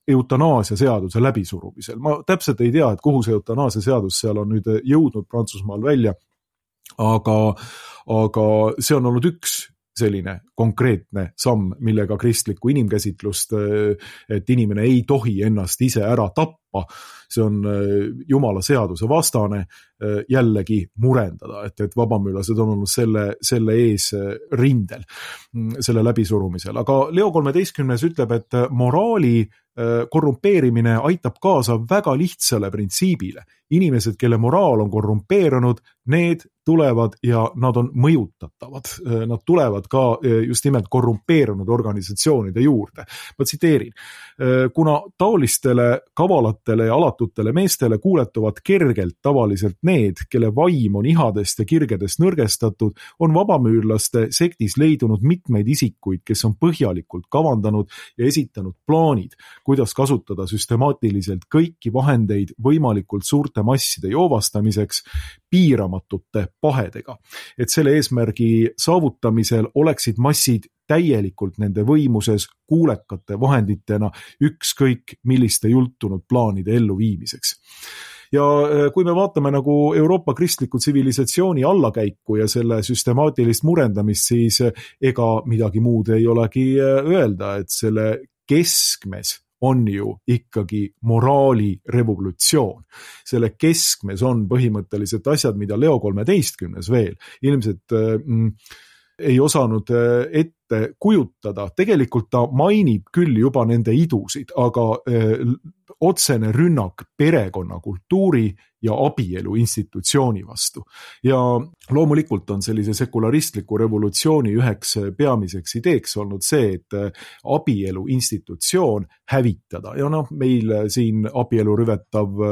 eutanaasia seaduse läbisurumisel. Ma täpselt ei tea, et kuhu see eutanaasia seadus seal on nüüd jõudnud Prantsusmaal välja, aga, aga see on olnud üks selline konkreetne samm, millega kristlikku inimkäsitlust, et inimene ei tohi ennast ise ära tappa, tappa, see on jumala seaduse vastane, jällegi murendada, et, et vabamüürlased on olnud selle, selle ees rindel, selle läbisurumisel. Aga Leo kolmeteistkümnes ütleb, et moraali korrumpeerimine aitab kaasa väga lihtsale printsiibile. Inimesed, kelle moraal on korrumpeerunud, need tulevad ja nad on mõjutatavad. Nad tulevad ka just nimelt korrumpeerunud organisatsioonide juurde. Ma tsiteerin, kuna taolistele kavalatele ja alatutele meestele kuuletuvad kergelt tavaliselt need, kelle vaim on ihadest ja kirgedest nõrgestatud, on vabamüürlaste sektis leidunud mitmeid isikuid, kes on põhjalikult kavandanud ja esitanud plaanid, kuidas kasutada süstemaatiliselt kõiki vahendeid võimalikult suurte masside joovastamiseks piiramatute pahedega. Et selle eesmärgi saavutamisel oleksid massid täielikult nende võimuses kuulekate vahenditena ükskõik milliste jultunud plaanide elluviimiseks. Ja kui me vaatame nagu Euroopa kristliku tsivilisatsiooni allakäiku ja selle süstemaatilist murendamist, siis ega midagi muud ei olegi öelda, et selle keskmes on ju ikkagi moraalirevolutsioon. Selle keskmes on põhimõtteliselt asjad, mida Leo kolmeteistkümnes veel ilmselt mm, ei osanud ette kujutada. Tegelikult ta mainib küll juba nende idusid, aga eh, otsene rünnak perekonna kultuuri ja abielu institutsiooni vastu. Ja loomulikult on sellise sekularistliku revolutsiooni üheks peamiseks ideeks olnud see, et abielu institutsioon hävitada. Ja noh, meil siin abielu rüvetav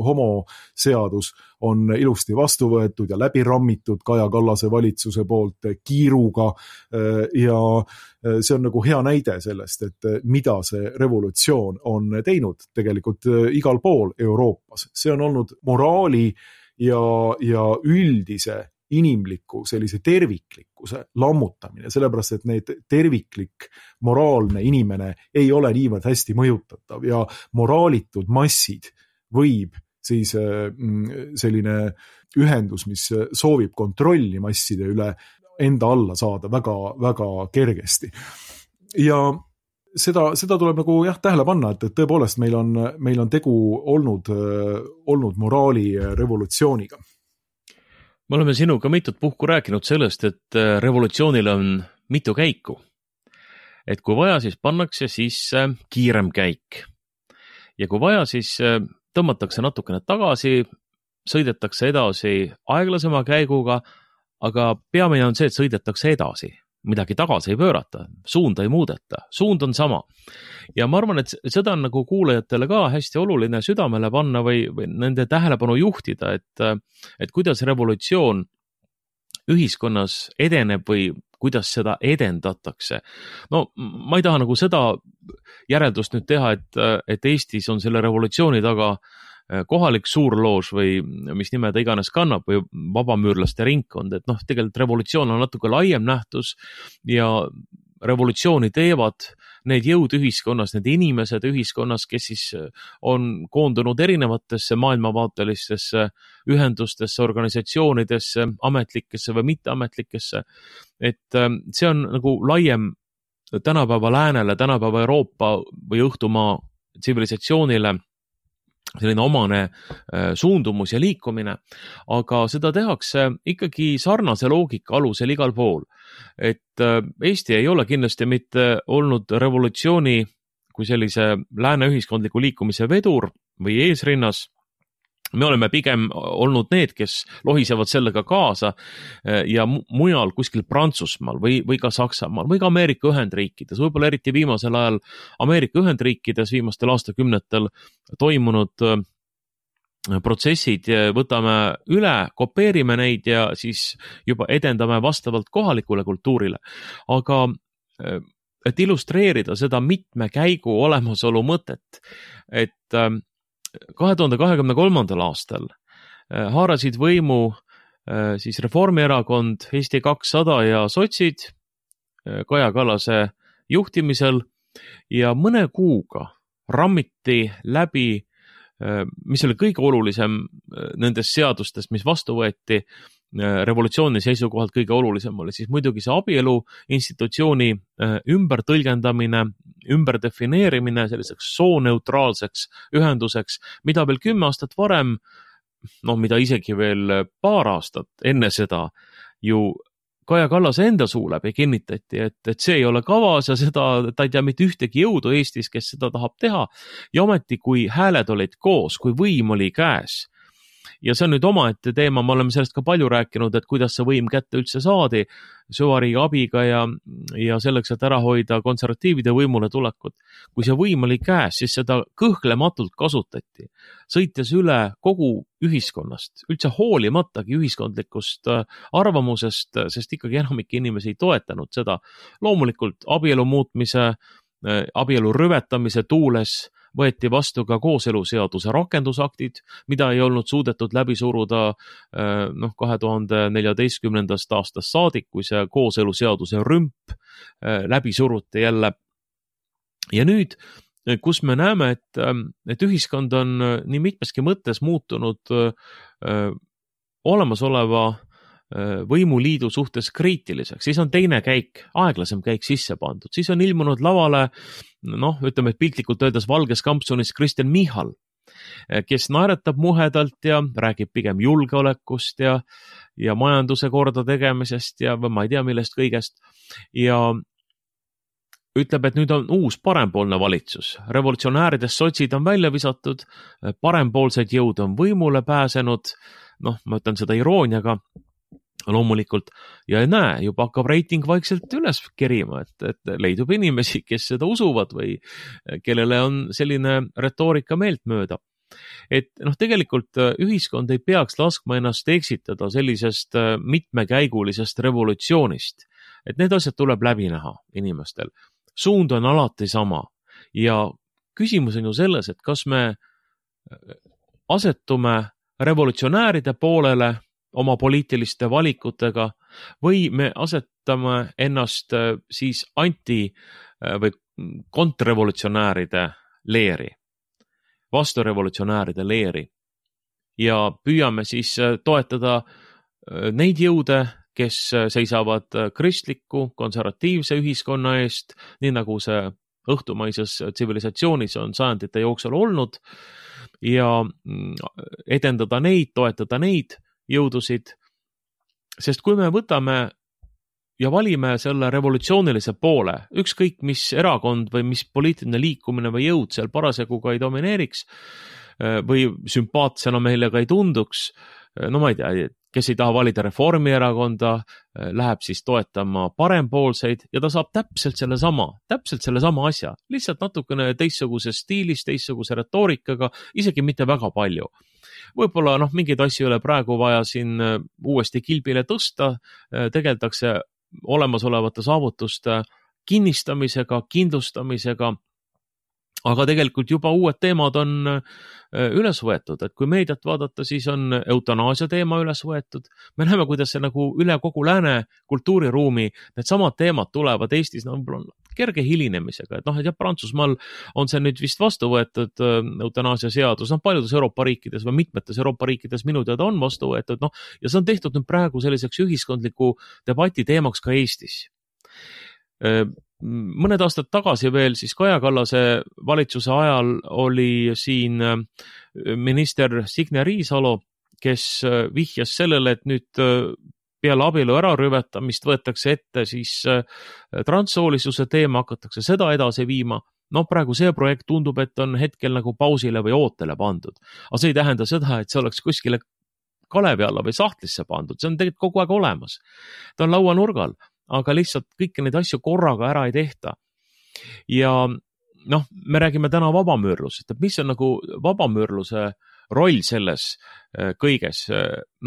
homoseadus on ilusti vastu võetud ja läbi rammitud Kaja Kallase valitsuse poolt kiiruga ja see on nagu hea näide sellest, et mida see revolutsioon on teinud tegelikult igal pool Euroopas. See on olnud moraali ja, ja üldise inimliku sellise terviklikkuse lammutamine, sellepärast et need terviklik moraalne inimene ei ole niivõrd hästi mõjutatav ja moraalitud massid võib siis selline ühendus, mis soovib kontrolli masside üle enda alla saada väga, väga kergesti. Ja seda, seda tuleb nagu jah, tähele panna, et, et tõepoolest meil on, meil on tegu olnud, olnud moraali revolutsiooniga. Me oleme sinuga mitut puhku rääkinud sellest, et revolutsioonil on mitu käiku. Et kui vaja, siis pannakse sisse kiirem käik. Ja kui vaja, siis tõmmatakse natukene tagasi, sõidetakse edasi aeglasema käiguga, aga peamine on see, et sõidetakse edasi. Midagi tagasi ei pöörata, suunda ei muudeta, suund on sama. Ja ma arvan, et seda on nagu kuulajatele ka hästi oluline südamele panna või, või nende tähelepanu juhtida, et, et kuidas revolutsioon ühiskonnas edeneb või kuidas seda edendatakse. No ma ei taha nagu seda järeldust nüüd teha, et, et Eestis on selle revolutsiooni taga kohalik suurloož või mis nime ta iganes kannab või vabamüürlaste ringkond, et noh, tegelikult revolutsioon on natuke laiem nähtus ja revolutsiooni teevad need jõud ühiskonnas, need inimesed ühiskonnas, kes siis on koondunud erinevatesse maailmavaatelistesse ühendustesse, organisatsioonidesse, ametlikesse või mitteametlikesse. Et see on nagu laiem tänapäeva läänele, tänapäeva Euroopa või õhtumaa tsivilisatsioonile selline omane suundumus ja liikumine, aga seda tehakse ikkagi sarnase loogika alusel igal pool. Et Eesti ei ole kindlasti mitte olnud revolutsiooni kui sellise lääne ühiskondliku liikumise vedur või eesrinnas. Me oleme pigem olnud need, kes lohisevad sellega kaasa ja mujal kuskil Prantsusmaal või, või ka Saksamaal või ka Ameerika Ühendriikides, võib-olla eriti viimasel ajal Ameerika Ühendriikides viimastel aastakümnetel toimunud protsessid võtame üle, kopeerime neid ja siis juba edendame vastavalt kohalikule kultuurile. Aga et illustreerida seda mitme käigu olemasolu mõtet, et kahe tuhande kahekümne kolmandal aastal haarasid võimu siis Reformierakond, Eesti kakssada ja sotsid Kaja Kallase juhtimisel ja mõne kuuga rammiti läbi mis oli kõige olulisem nendest seadustest, mis vastu võeti, revolutsiooni seisukohalt kõige olulisem oli siis muidugi see abielu institutsiooni ümber tõlgendamine, ümber defineerimine selliseks sooneutraalseks ühenduseks, mida veel kümme aastat varem, no mida isegi veel paar aastat enne seda ju Kaja Kallase enda suu läbi kinnitati, et, et see ei ole kavas ja seda, ta ei tea mitte ühtegi jõudu Eestis, kes seda tahab teha. Ja ometi, kui hääled olid koos, kui võim oli käes, ja see on nüüd omaette teema, me oleme sellest ka palju rääkinud, et kuidas see võim kätte üldse saadi süvariigi abiga ja, ja selleks, et ära hoida konservatiivide võimule tulekut. Kui see võim oli käes, siis seda kõhklematult kasutati, sõites üle kogu ühiskonnast, üldse hoolimatagi ühiskondlikust arvamusest, sest ikkagi enamik inimesi ei toetanud seda. Loomulikult abielu muutmise, abielu rüvetamise tuules võeti vastu ka kooseluseaduse rakendusaktid, mida ei olnud suudetud läbi suruda noh, kahe tuhande neljateistkümnendast aastast saadik, kui see kooseluseaduse rümp läbi suruti jälle. Ja nüüd, kus me näeme, et, et ühiskond on nii mitmeski mõttes muutunud olemasoleva võimuliidu suhtes kriitiliseks, siis on teine käik, aeglasem käik sisse pandud. Siis on ilmunud lavale, noh, ütleme, et piltlikult öeldes valges kampsunis Kristen Michal, kes naeretab muhedalt ja räägib pigem julgeolekust ja, ja majanduse korda tegemisest ja või ma ei tea millest kõigest. Ja ütleb, et nüüd on uus parempoolne valitsus. Revolutsionääridest sotsid on välja visatud, parempoolsed jõud on võimule pääsenud, noh, ma ütlen seda irooniaga, loomulikult, ja näe, juba hakkab reiting vaikselt üles kerima, et, et leidub inimesi, kes seda usuvad või kellele on selline retoorika meelt mööda. Et noh, tegelikult ühiskond ei peaks laskma ennast eksitada sellisest mitmekäigulisest revolutsioonist, et need asjad tuleb läbi näha inimestel. Suund on alati sama ja küsimus on ju selles, et kas me asetume revolutsionääride poolele oma poliitiliste valikutega või me asetame ennast siis anti- või kontrrevolutsionääride leeri, vasturevolutsionääride leeri ja püüame siis toetada neid jõude, kes seisavad kristliku, konservatiivse ühiskonna eest, nii nagu see õhtumaises tsivilisatsioonis on sajandite jooksul olnud ja edendada neid, toetada neid jõudusid, sest kui me võtame ja valime selle revolutsioonilise poole, ükskõik mis erakond või mis poliitiline liikumine või jõud seal parasjagu ka ei domineeriks või sümpaatsena meile ka ei tunduks, no ma ei tea, kes ei taha valida Reformierakonda, läheb siis toetama parempoolseid ja ta saab täpselt selle sama, täpselt selle sama asja, lihtsalt natukene teistsuguse stiilis, teistsuguse retoorikaga, isegi mitte väga palju. Võib-olla noh, mingeid asju ei ole praegu vaja siin uuesti kilbile tõsta, tegeldakse olemasolevate saavutuste kinnistamisega, kindlustamisega, aga tegelikult juba uued teemad on üles võetud, et kui meediat vaadata, siis on eutanaasia teema üles võetud. Me näeme, kuidas see nagu üle kogu lääne kultuuriruumi need samad teemad tulevad Eestis no, kerge hilinemisega, et noh, et jah, Prantsusmaal on see nüüd vist vastu võetud eutanaasia seadus, noh, paljudes Euroopa riikides või mitmetes Euroopa riikides minu teada on vastu võetud, noh, ja see on tehtud nüüd praegu selliseks ühiskondliku debati teemaks ka Eestis. Mõned aastad tagasi veel siis Kaja Kallase valitsuse ajal oli siin minister Signe Riisalo, kes vihjas sellele, et nüüd peale abielu ärarüvetamist võetakse ette siis transsoolisuse teema, hakatakse seda edasi viima. No praegu see projekt tundub, et on hetkel nagu pausile või ootele pandud. Aga see ei tähenda seda, et see oleks kuskile kalevi alla või sahtlisse pandud. See on tegelikult kogu aeg olemas. Ta on lauanurgal. Aga lihtsalt kõiki neid asju korraga ära ei tehta. Ja noh, me räägime täna vabamüürlusest, et mis on nagu vabamüürluse roll selles kõiges.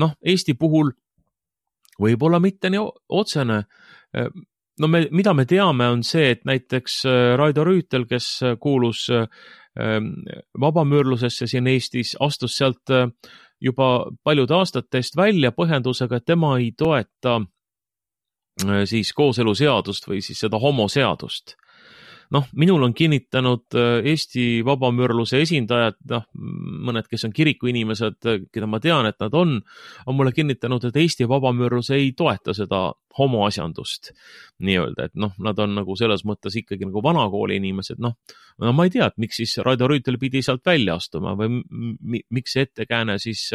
Noh, Eesti puhul võib-olla mitte nii otsene. No me, mida me teame on see, et näiteks Raido Rüütel, kes kuulus vabamüürlusesse siin Eestis, astus sealt juba paljude aastate eest välja põhjendusega, et tema ei toeta siis kooseluseadust või siis seda homoseadust. noh, minul on kinnitanud Eesti vabamüürluse esindajad, noh, mõned, kes on kirikuinimesed, keda ma tean, et nad on, on mulle kinnitanud, et Eesti vabamüürlus ei toeta seda homoasjandust nii-öelda, et noh, nad on nagu selles mõttes ikkagi nagu vanakooli inimesed, noh, no ma ei tea, et miks siis Raido Rüütel pidi sealt välja astuma või miks see ettekääne siis,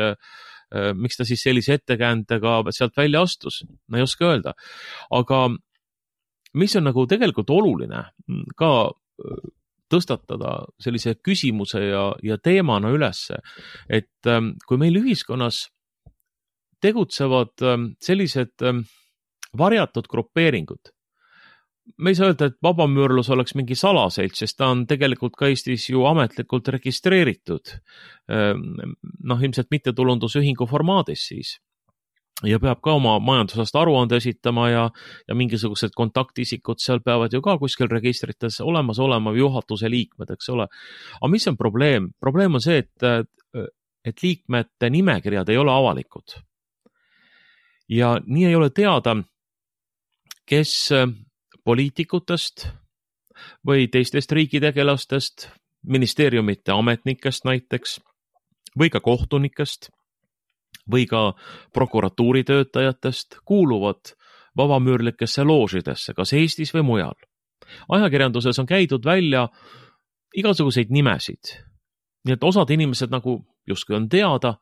miks ta siis sellise ettekäändega sealt välja astus, ma ei oska öelda, aga mis on nagu tegelikult oluline ka tõstatada sellise küsimuse ja, ja teemana ülesse, et kui meil ühiskonnas tegutsevad sellised varjatud grupeeringud, me ei saa öelda, et vabamüürlus oleks mingi salaselts, sest ta on tegelikult ka Eestis ju ametlikult registreeritud, noh, ilmselt mittetulundusühingu formaadis siis. Ja peab ka oma majandusest aruande esitama ja, ja mingisugused kontaktisikud seal peavad ju ka kuskil registrites olemas olema juhatuse liikmed, eks ole. Aga mis on probleem? Probleem on see, et, et liikmete nimekirjad ei ole avalikud. Ja nii ei ole teada, kes poliitikutest või teistest riigitegelastest, ministeeriumite ametnikest näiteks või ka kohtunikest või ka prokuratuuri töötajatest kuuluvad vabamüürlikesse loožidesse, kas Eestis või mujal. Ajakirjanduses on käidud välja igasuguseid nimesid, nii et osad inimesed nagu justkui on teada,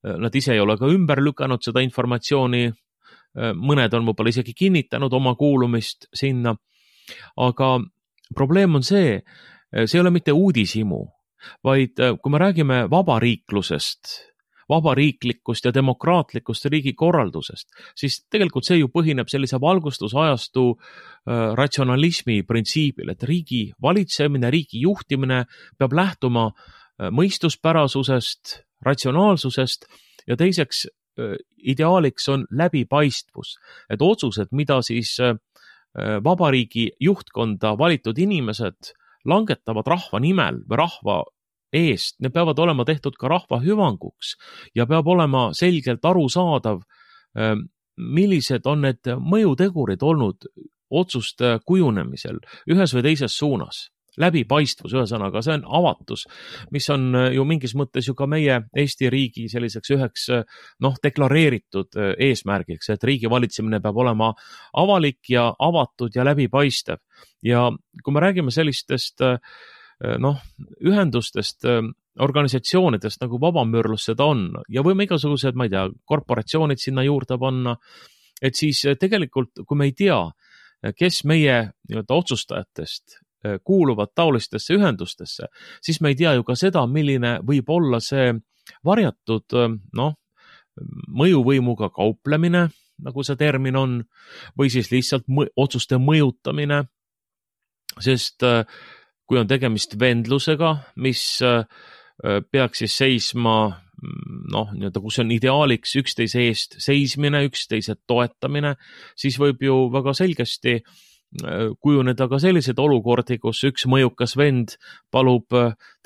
nad ise ei ole ka ümber lükanud seda informatsiooni, mõned on võib-olla isegi kinnitanud oma kuulumist sinna, aga probleem on see, see ei ole mitte uudishimu, vaid kui me räägime vabariiklusest, vabariiklikust ja demokraatlikust riigikorraldusest, siis tegelikult see ju põhineb sellise valgustusajastu äh, ratsionalismi printsiibil, et riigi valitsemine, riigi juhtimine peab lähtuma äh, mõistuspärasusest, ratsionaalsusest ja teiseks äh, ideaaliks on läbipaistvus, et otsused, mida siis äh, vabariigi juhtkonda valitud inimesed langetavad rahva nimel või rahva eest, need peavad olema tehtud ka rahva hüvanguks ja peab olema selgelt arusaadav, millised on need mõjutegurid olnud otsuste kujunemisel ühes või teises suunas. Läbipaistvus, ühesõnaga, see on avatus, mis on ju mingis mõttes ju ka meie Eesti riigi selliseks üheks noh, deklareeritud eesmärgiks, et riigi valitsemine peab olema avalik ja avatud ja läbipaistev. Ja kui me räägime sellistest noh, ühendustest, organisatsioonidest nagu vabamüürlus seda on ja võime igasugused, ma ei tea, korporatsioonid sinna juurde panna, et siis tegelikult, kui me ei tea, kes meie nii-öelda otsustajatest kuuluvad taolistesse ühendustesse, siis me ei tea ju ka seda, milline võib olla see varjatud noh, mõjuvõimuga kauplemine, nagu see termin on, või siis lihtsalt mõ- otsuste mõjutamine, sest kui on tegemist vendlusega, mis peaks siis seisma, noh, nii-öelda, kus on ideaaliks üksteise eest seismine, üksteise toetamine, siis võib ju väga selgesti kujuneda ka sellised olukordi, kus üks mõjukas vend palub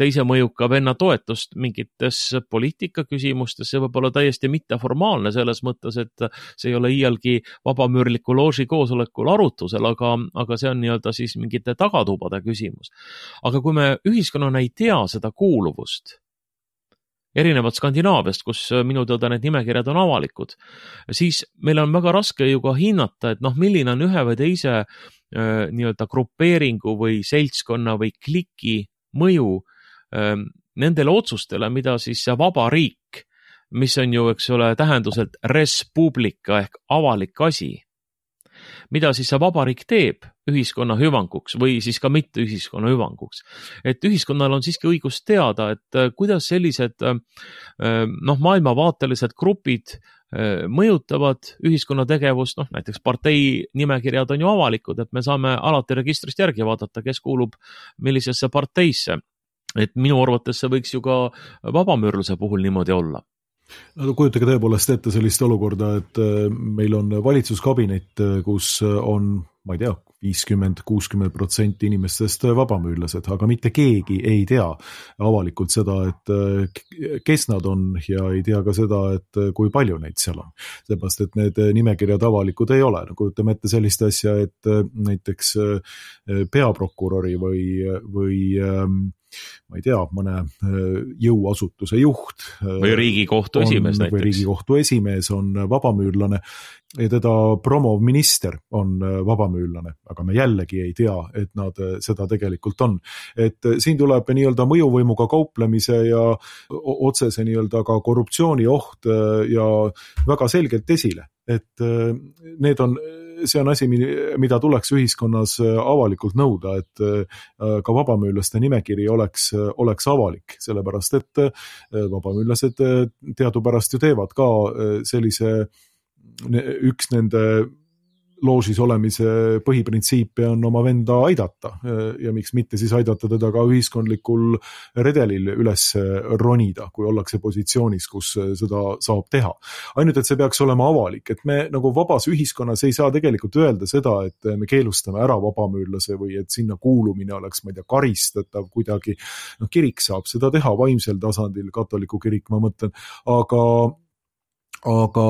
teise mõjuka venna toetust mingites poliitikaküsimustes, see võib olla täiesti mitteformaalne selles mõttes, et see ei ole iialgi vabamüürliku looži koosolekul arutusel, aga, aga see on nii-öelda siis mingite tagatubade küsimus. Aga kui me ühiskonnana ei tea seda kuuluvust, erinevad Skandinaaviast, kus minu teada need nimekirjad on avalikud, siis meil on väga raske ju ka hinnata, et noh, milline on ühe või teise äh, nii-öelda grupeeringu või seltskonna või kliki mõju äh, nendele otsustele, mida siis see vaba riik, mis on ju, eks ole, tähenduselt res publica ehk avalik asi, mida siis see vabariik teeb ühiskonna hüvanguks või siis ka mitte ühiskonna hüvanguks. Et ühiskonnal on siiski õigus teada, et kuidas sellised noh, maailmavaatelised grupid mõjutavad ühiskonna tegevust, noh näiteks partei nimekirjad on ju avalikud, et me saame alati registrist järgi vaadata, kes kuulub millisesse parteisse. Et minu arvates see võiks ju ka vabamüürluse puhul niimoodi olla. No, kujutage tõepoolest ette sellist olukorda, et meil on valitsuskabinet, kus on ma ei tea, viiskümmend kuuskümmend protsenti inimestest vabamüürlased, aga mitte keegi ei tea avalikult seda, et kes nad on ja ei tea ka seda, et kui palju neid seal on. Seepärast, et need nimekirjad avalikud ei ole. Kujutame ette sellist asja, et näiteks peaprokuröri või, või ma ei tea, mõne jõuasutuse juht või Riigikohtu esimees näiteks. Või Riigikohtu esimees on vabamüürlane ja teda promov minister on vabamüürlane, aga me jällegi ei tea, et nad seda tegelikult on. Et siin tuleb nii-öelda mõjuvõimuga kauplemise ja otsese nii-öelda ka korruptsiooni oht ja väga selgelt esile, et need on see on asi, mida tuleks ühiskonnas avalikult nõuda, et ka vabamüürlaste nimekiri oleks, oleks avalik, sellepärast et vabamüürlased teadupärast ju teevad ka sellise, üks nende loožis olemise põhiprintsiipi on oma venda aidata ja miks mitte siis aidata teda ka ühiskondlikul redelil üles ronida, kui ollakse positsioonis, kus seda saab teha. Ainult, et see peaks olema avalik, et me nagu vabas ühiskonnas ei saa tegelikult öelda seda, et me keelustame ära vabamüürlase või et sinna kuulumine oleks, ma ei tea, karistatav kuidagi. No, kirik saab seda teha vaimsel tasandil, katoliku kirik, ma mõtlen, aga, aga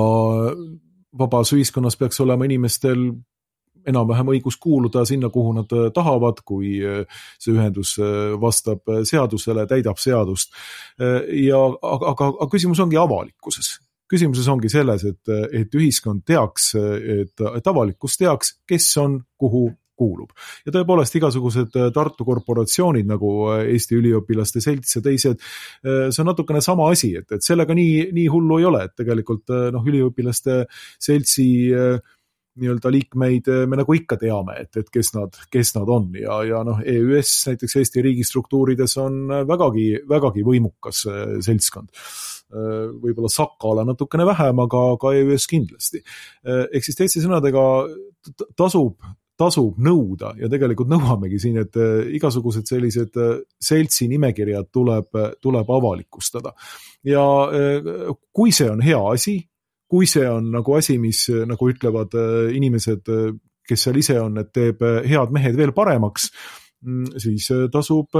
vabas ühiskonnas peaks olema inimestel enam-vähem õigus kuuluda sinna, kuhu nad tahavad, kui see ühendus vastab seadusele, täidab seadust. Ja, aga, aga, aga küsimus ongi avalikkuses. Küsimuses ongi selles, et, et ühiskond teaks, et, et avalikkus teaks, kes on, kuhu kuulub. Ja tõepoolest igasugused Tartu korporatsioonid nagu Eesti üliõpilaste selts ja teised, see on natukene sama asi, et, et sellega nii, nii hullu ei ole, et tegelikult noh, üliõpilaste seltsi nii-öelda liikmeid me nagu ikka teame, et, et kes nad, kes nad on ja, ja noh, E Ü S näiteks Eesti riigistruktuurides on vägagi, vägagi võimukas seltskond. Võib-olla Sakala natukene vähem, aga ka E Ü S kindlasti. Ehk siis teiste sõnadega tasub tasub nõuda ja tegelikult nõuamegi siin, et igasugused sellised seltsi nimekirjad tuleb, tuleb avalikustada. Ja kui see on hea asi, kui see on nagu asi, mis nagu ütlevad inimesed, kes seal ise on, et teeb head mehed veel paremaks, siis tasub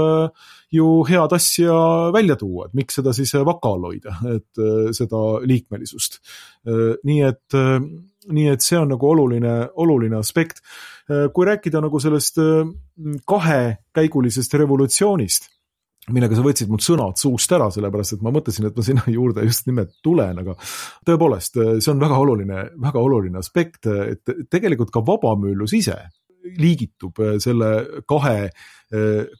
ju head asja välja tuua, et miks seda siis vakal hoida, et seda liikmelisust. Nii et, nii et see on nagu oluline, oluline aspekt. Kui rääkida nagu sellest kahekäigulisest revolutsioonist, millega sa võtsid mul sõnad suust ära, sellepärast et ma mõtlesin, et ma sinna juurde just nimelt tulen, aga tõepoolest, see on väga oluline, väga oluline aspekt, et tegelikult ka vabamüürlus ise liigitub selle kahe,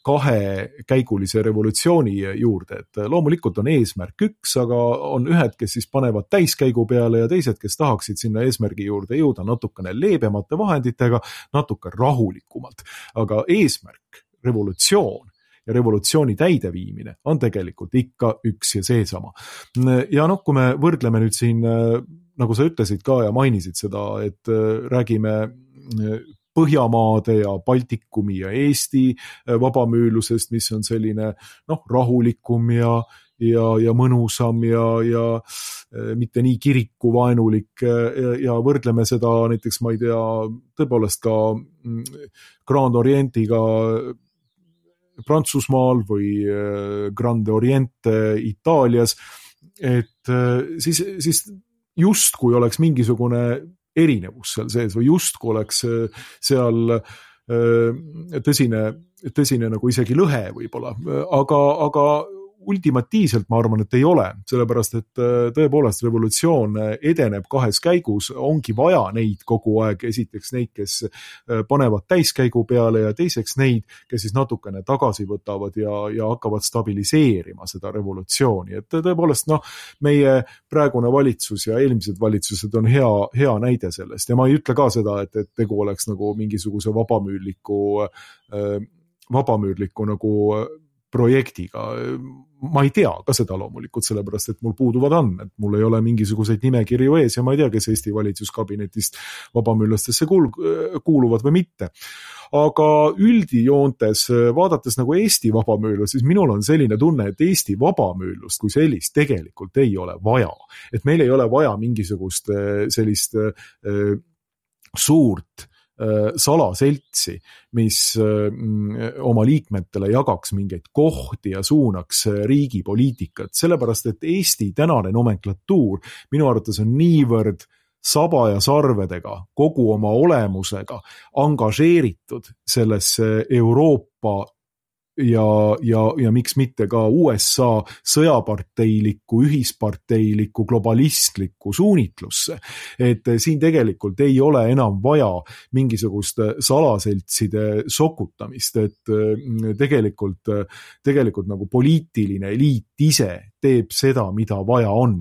kahe käigulise revolutsiooni juurde, et loomulikult on eesmärk üks, aga on ühed, kes siis panevad täiskäigu peale ja teised, kes tahaksid sinna eesmärgi juurde jõuda natukene leebemate vahenditega, natuke rahulikumalt. Aga eesmärk, revolutsioon ja revolutsiooni täideviimine on tegelikult ikka üks ja seesama. Ja noh, kui me võrdleme nüüd siin, nagu sa ütlesid ka ja mainisid seda, et räägime Põhjamaade ja Baltikumi ja Eesti vabamüürlusest, mis on selline noh, rahulikum ja, ja, ja mõnusam ja, ja mitte nii kirikuvaenulik ja, ja võrdleme seda näiteks, ma ei tea, tõepoolest ka Grand Orientiga Prantsusmaal või Grande Oriente Itaalias, et siis, siis just kui oleks mingisugune erinevus seal sees või justku oleks seal tõsine, tõsine nagu isegi lõhe võib-olla, aga, aga ultimatiivselt ma arvan, et ei ole, sellepärast et tõepoolest revolutsioon edeneb kahes käigus, ongi vaja neid kogu aeg, esiteks neid, kes panevad täiskäigu peale ja teiseks neid, kes siis natukene tagasi võtavad ja, ja hakkavad stabiliseerima seda revolutsiooni. Et tõepoolest noh, meie praegune valitsus ja eelmised valitsused on hea, hea näide sellest ja ma ei ütle ka seda, et, et tegu oleks nagu mingisuguse vabamüürliku, vabamüürliku nagu projektiga. Ma ei tea ka seda loomulikult, sellepärast, et mul puuduvad andmed. Mul ei ole mingisuguseid nimekirju ees ja ma ei tea, kes Eesti valitsuskabinetist vabamüürlastesse kuuluvad või mitte. Aga üldijoontes, vaadates nagu Eesti vabamüürlust, siis minul on selline tunne, et Eesti vabamüürlust kui sellist tegelikult ei ole vaja. Et meil ei ole vaja mingisugust sellist suurt salaseltsi, mis oma liikmetele jagaks mingeid kohti ja suunaks riigi poliitikat, sellepärast et Eesti tänane nomenklatuur minu arvates on niivõrd saba ja sarvedega, kogu oma olemusega angažeeritud sellesse Euroopa ja, ja, ja miks mitte ka U S A sõjaparteiliku, ühisparteiliku, globalistliku suunitlusse. Et siin tegelikult ei ole enam vaja mingisugust salaseltside sokutamist, et tegelikult, tegelikult nagu poliitiline eliit ise teeb seda, mida vaja on.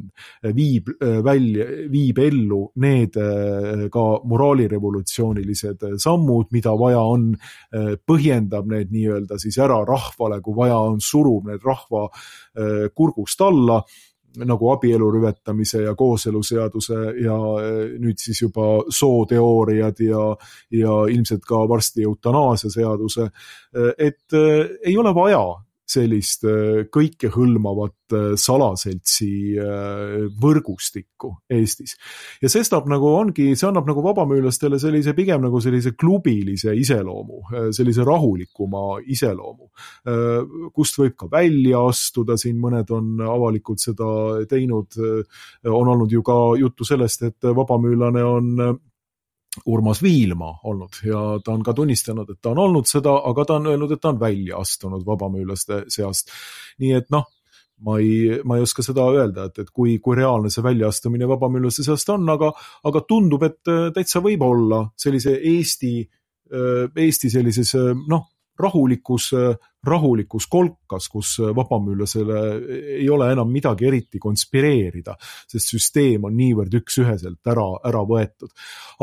Viib, välja, viib ellu need ka moraalirevolutsioonilised sammud, mida vaja on, põhjendab need nii-öelda siis ära rahvale, kui vaja on, surub need rahva kurgust alla, nagu abielu rüvetamise ja kooseluseaduse ja nüüd siis juba sooteooriad ja, ja ilmselt ka varsti eutanaasia seaduse, et ei ole vaja sellist kõikehõlmavat salaseltsi võrgustikku Eestis. Ja sestap nagu ongi, see annab nagu vabamüülastele sellise pigem nagu sellise klubilise iseloomu, sellise rahulikuma iseloomu, kust võib ka välja astuda, siin mõned on avalikult seda teinud, on olnud ju ka juttu sellest, et vabamüülane on Urmas Viilma olnud ja ta on ka tunnistanud, et ta on olnud seda, aga ta on öelnud, et ta on välja astunud vabamüürlaste seast. Nii et noh, ma ei, ma ei oska seda öelda, et, et kui, kui reaalne see väljaastumine vabamüürlaste seast on, aga, aga tundub, et täitsa võib olla sellise Eesti, Eesti sellises, noh, rahulikus, rahulikus kolkas, kus vabamüürlasele ei ole enam midagi eriti konspireerida, sest süsteem on niivõrd üks-üheselt ära, ära võetud.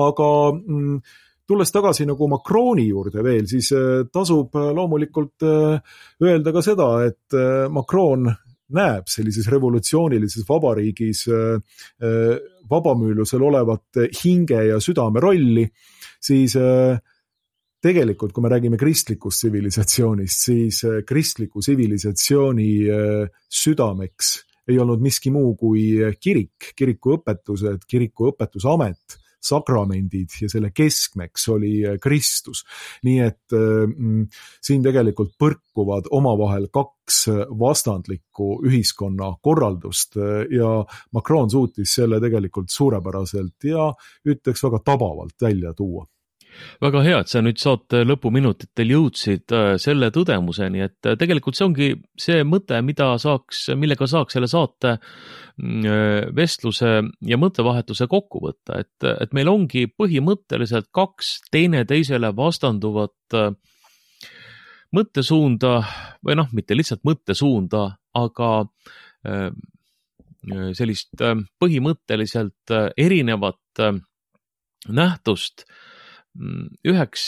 Aga mm, tulles tagasi nagu Macroni juurde veel, siis tasub loomulikult öelda ka seda, et Macron näeb sellises revolutsioonilises vabariigis vabamüürlusel olevat hinge ja südame rolli, siis tegelikult, kui me räägime kristlikust tsivilisatsioonist, siis kristliku tsivilisatsiooni südameks ei olnud miski muu kui kirik, kiriku õpetused, kiriku õpetusamet, sakramendid ja selle keskmeks oli Kristus. Nii et mm, siin tegelikult põrkuvad omavahel kaks vastandlikku ühiskonna korraldust ja Macron suutis selle tegelikult suurepäraselt ja ütleks väga tabavalt välja tuua. Väga hea, et sa nüüd saate lõpuminutitel jõudsid selle tõdemuseni, et tegelikult see ongi see mõte, mida saaks, millega saaks selle saate vestluse ja mõttevahetuse kokku võtta, et, et meil ongi põhimõtteliselt kaks teine teisele vastanduvat mõttesuunda või noh, mitte lihtsalt mõttesuunda, aga sellist põhimõtteliselt erinevat nähtust. Üheks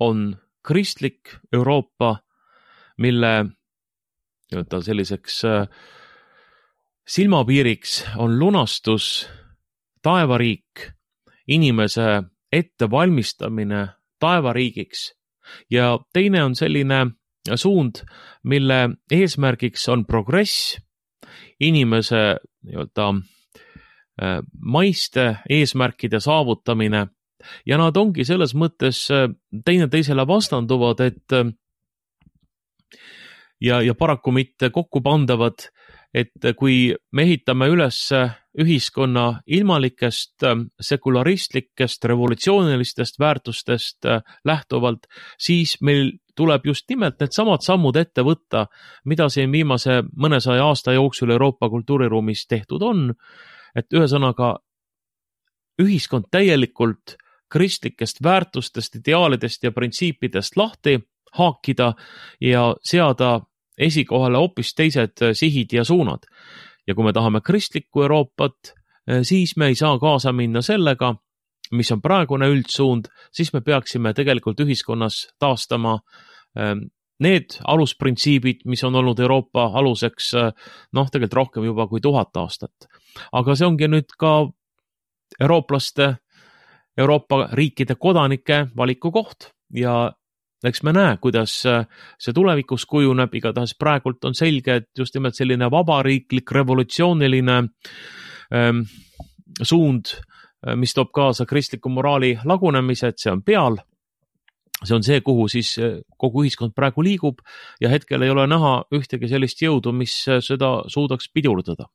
on kristlik Euroopa, mille selliseks silmapiiriks on lunastus, taevariik, inimese ettevalmistamine taevariigiks ja teine on selline suund, mille eesmärgiks on progress, inimese nii-öelda maiste eesmärkide saavutamine. Ja nad ongi selles mõttes teine teisele vastanduvad, et ja, ja paraku mitte kokku pandavad, et kui me ehitame üles ühiskonna ilmalikest, sekularistlikest, revolutsioonilistest väärtustest lähtuvalt, siis meil tuleb just nimelt need samad sammud ette võtta, mida siin viimase mõnesaja aasta jooksul Euroopa kultuuriruumis tehtud on, et ühesõnaga ühiskond täielikult kristlikest väärtustest, ideaalidest ja printsiipidest lahti haakida ja seada esikohale hoopis teised sihid ja suunad. Ja kui me tahame kristlikku Euroopat, siis me ei saa kaasa minna sellega, mis on praegune üldsuund, siis me peaksime tegelikult ühiskonnas taastama need alusprintsiibid, mis on olnud Euroopa aluseks, noh, tegelikult rohkem juba kui tuhat aastat. Aga see ongi nüüd ka eurooplaste Euroopa riikide kodanike valiku koht ja eks me näe, kuidas see tulevikus kujuneb, igatahes praegult on selge, et just nimelt selline vabariiklik, revolutsiooniline ähm, suund mis toob kaasa kristliku moraali lagunemise, et see on peal. See on see, kuhu siis kogu ühiskond praegu liigub ja hetkel ei ole näha ühtegi sellist jõudu, mis seda suudaks pidurdada.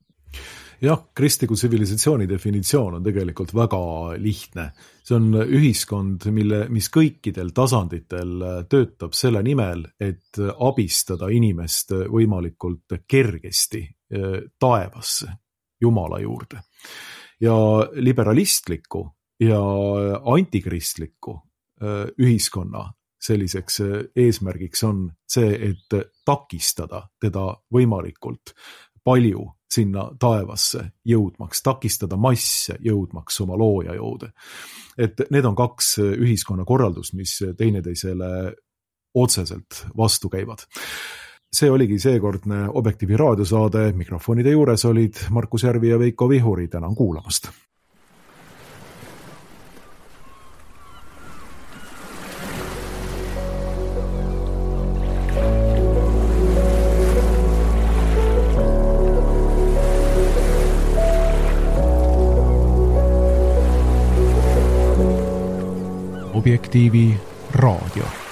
Jah, kristliku tsivilisatsiooni definitsioon on tegelikult väga lihtne. See on ühiskond, mille, mis kõikidel tasanditel töötab selle nimel, et abistada inimest võimalikult kergesti taevasse, Jumala juurde. Ja liberalistliku ja antikristliku ühiskonna selliseks eesmärgiks on see, et takistada teda võimalikult palju sinna taevasse jõudmaks, takistada masse jõudmaks oma looja jõude. Et need on kaks ühiskonna korraldust, mis teineteisele otseselt vastu käivad. See oligi seekordne Objektiivi raadiosaade. Mikrofonide juures olid Markus Järvi ja Veiko Vihuri. Tänan kuulamast. Objektiivi raadio.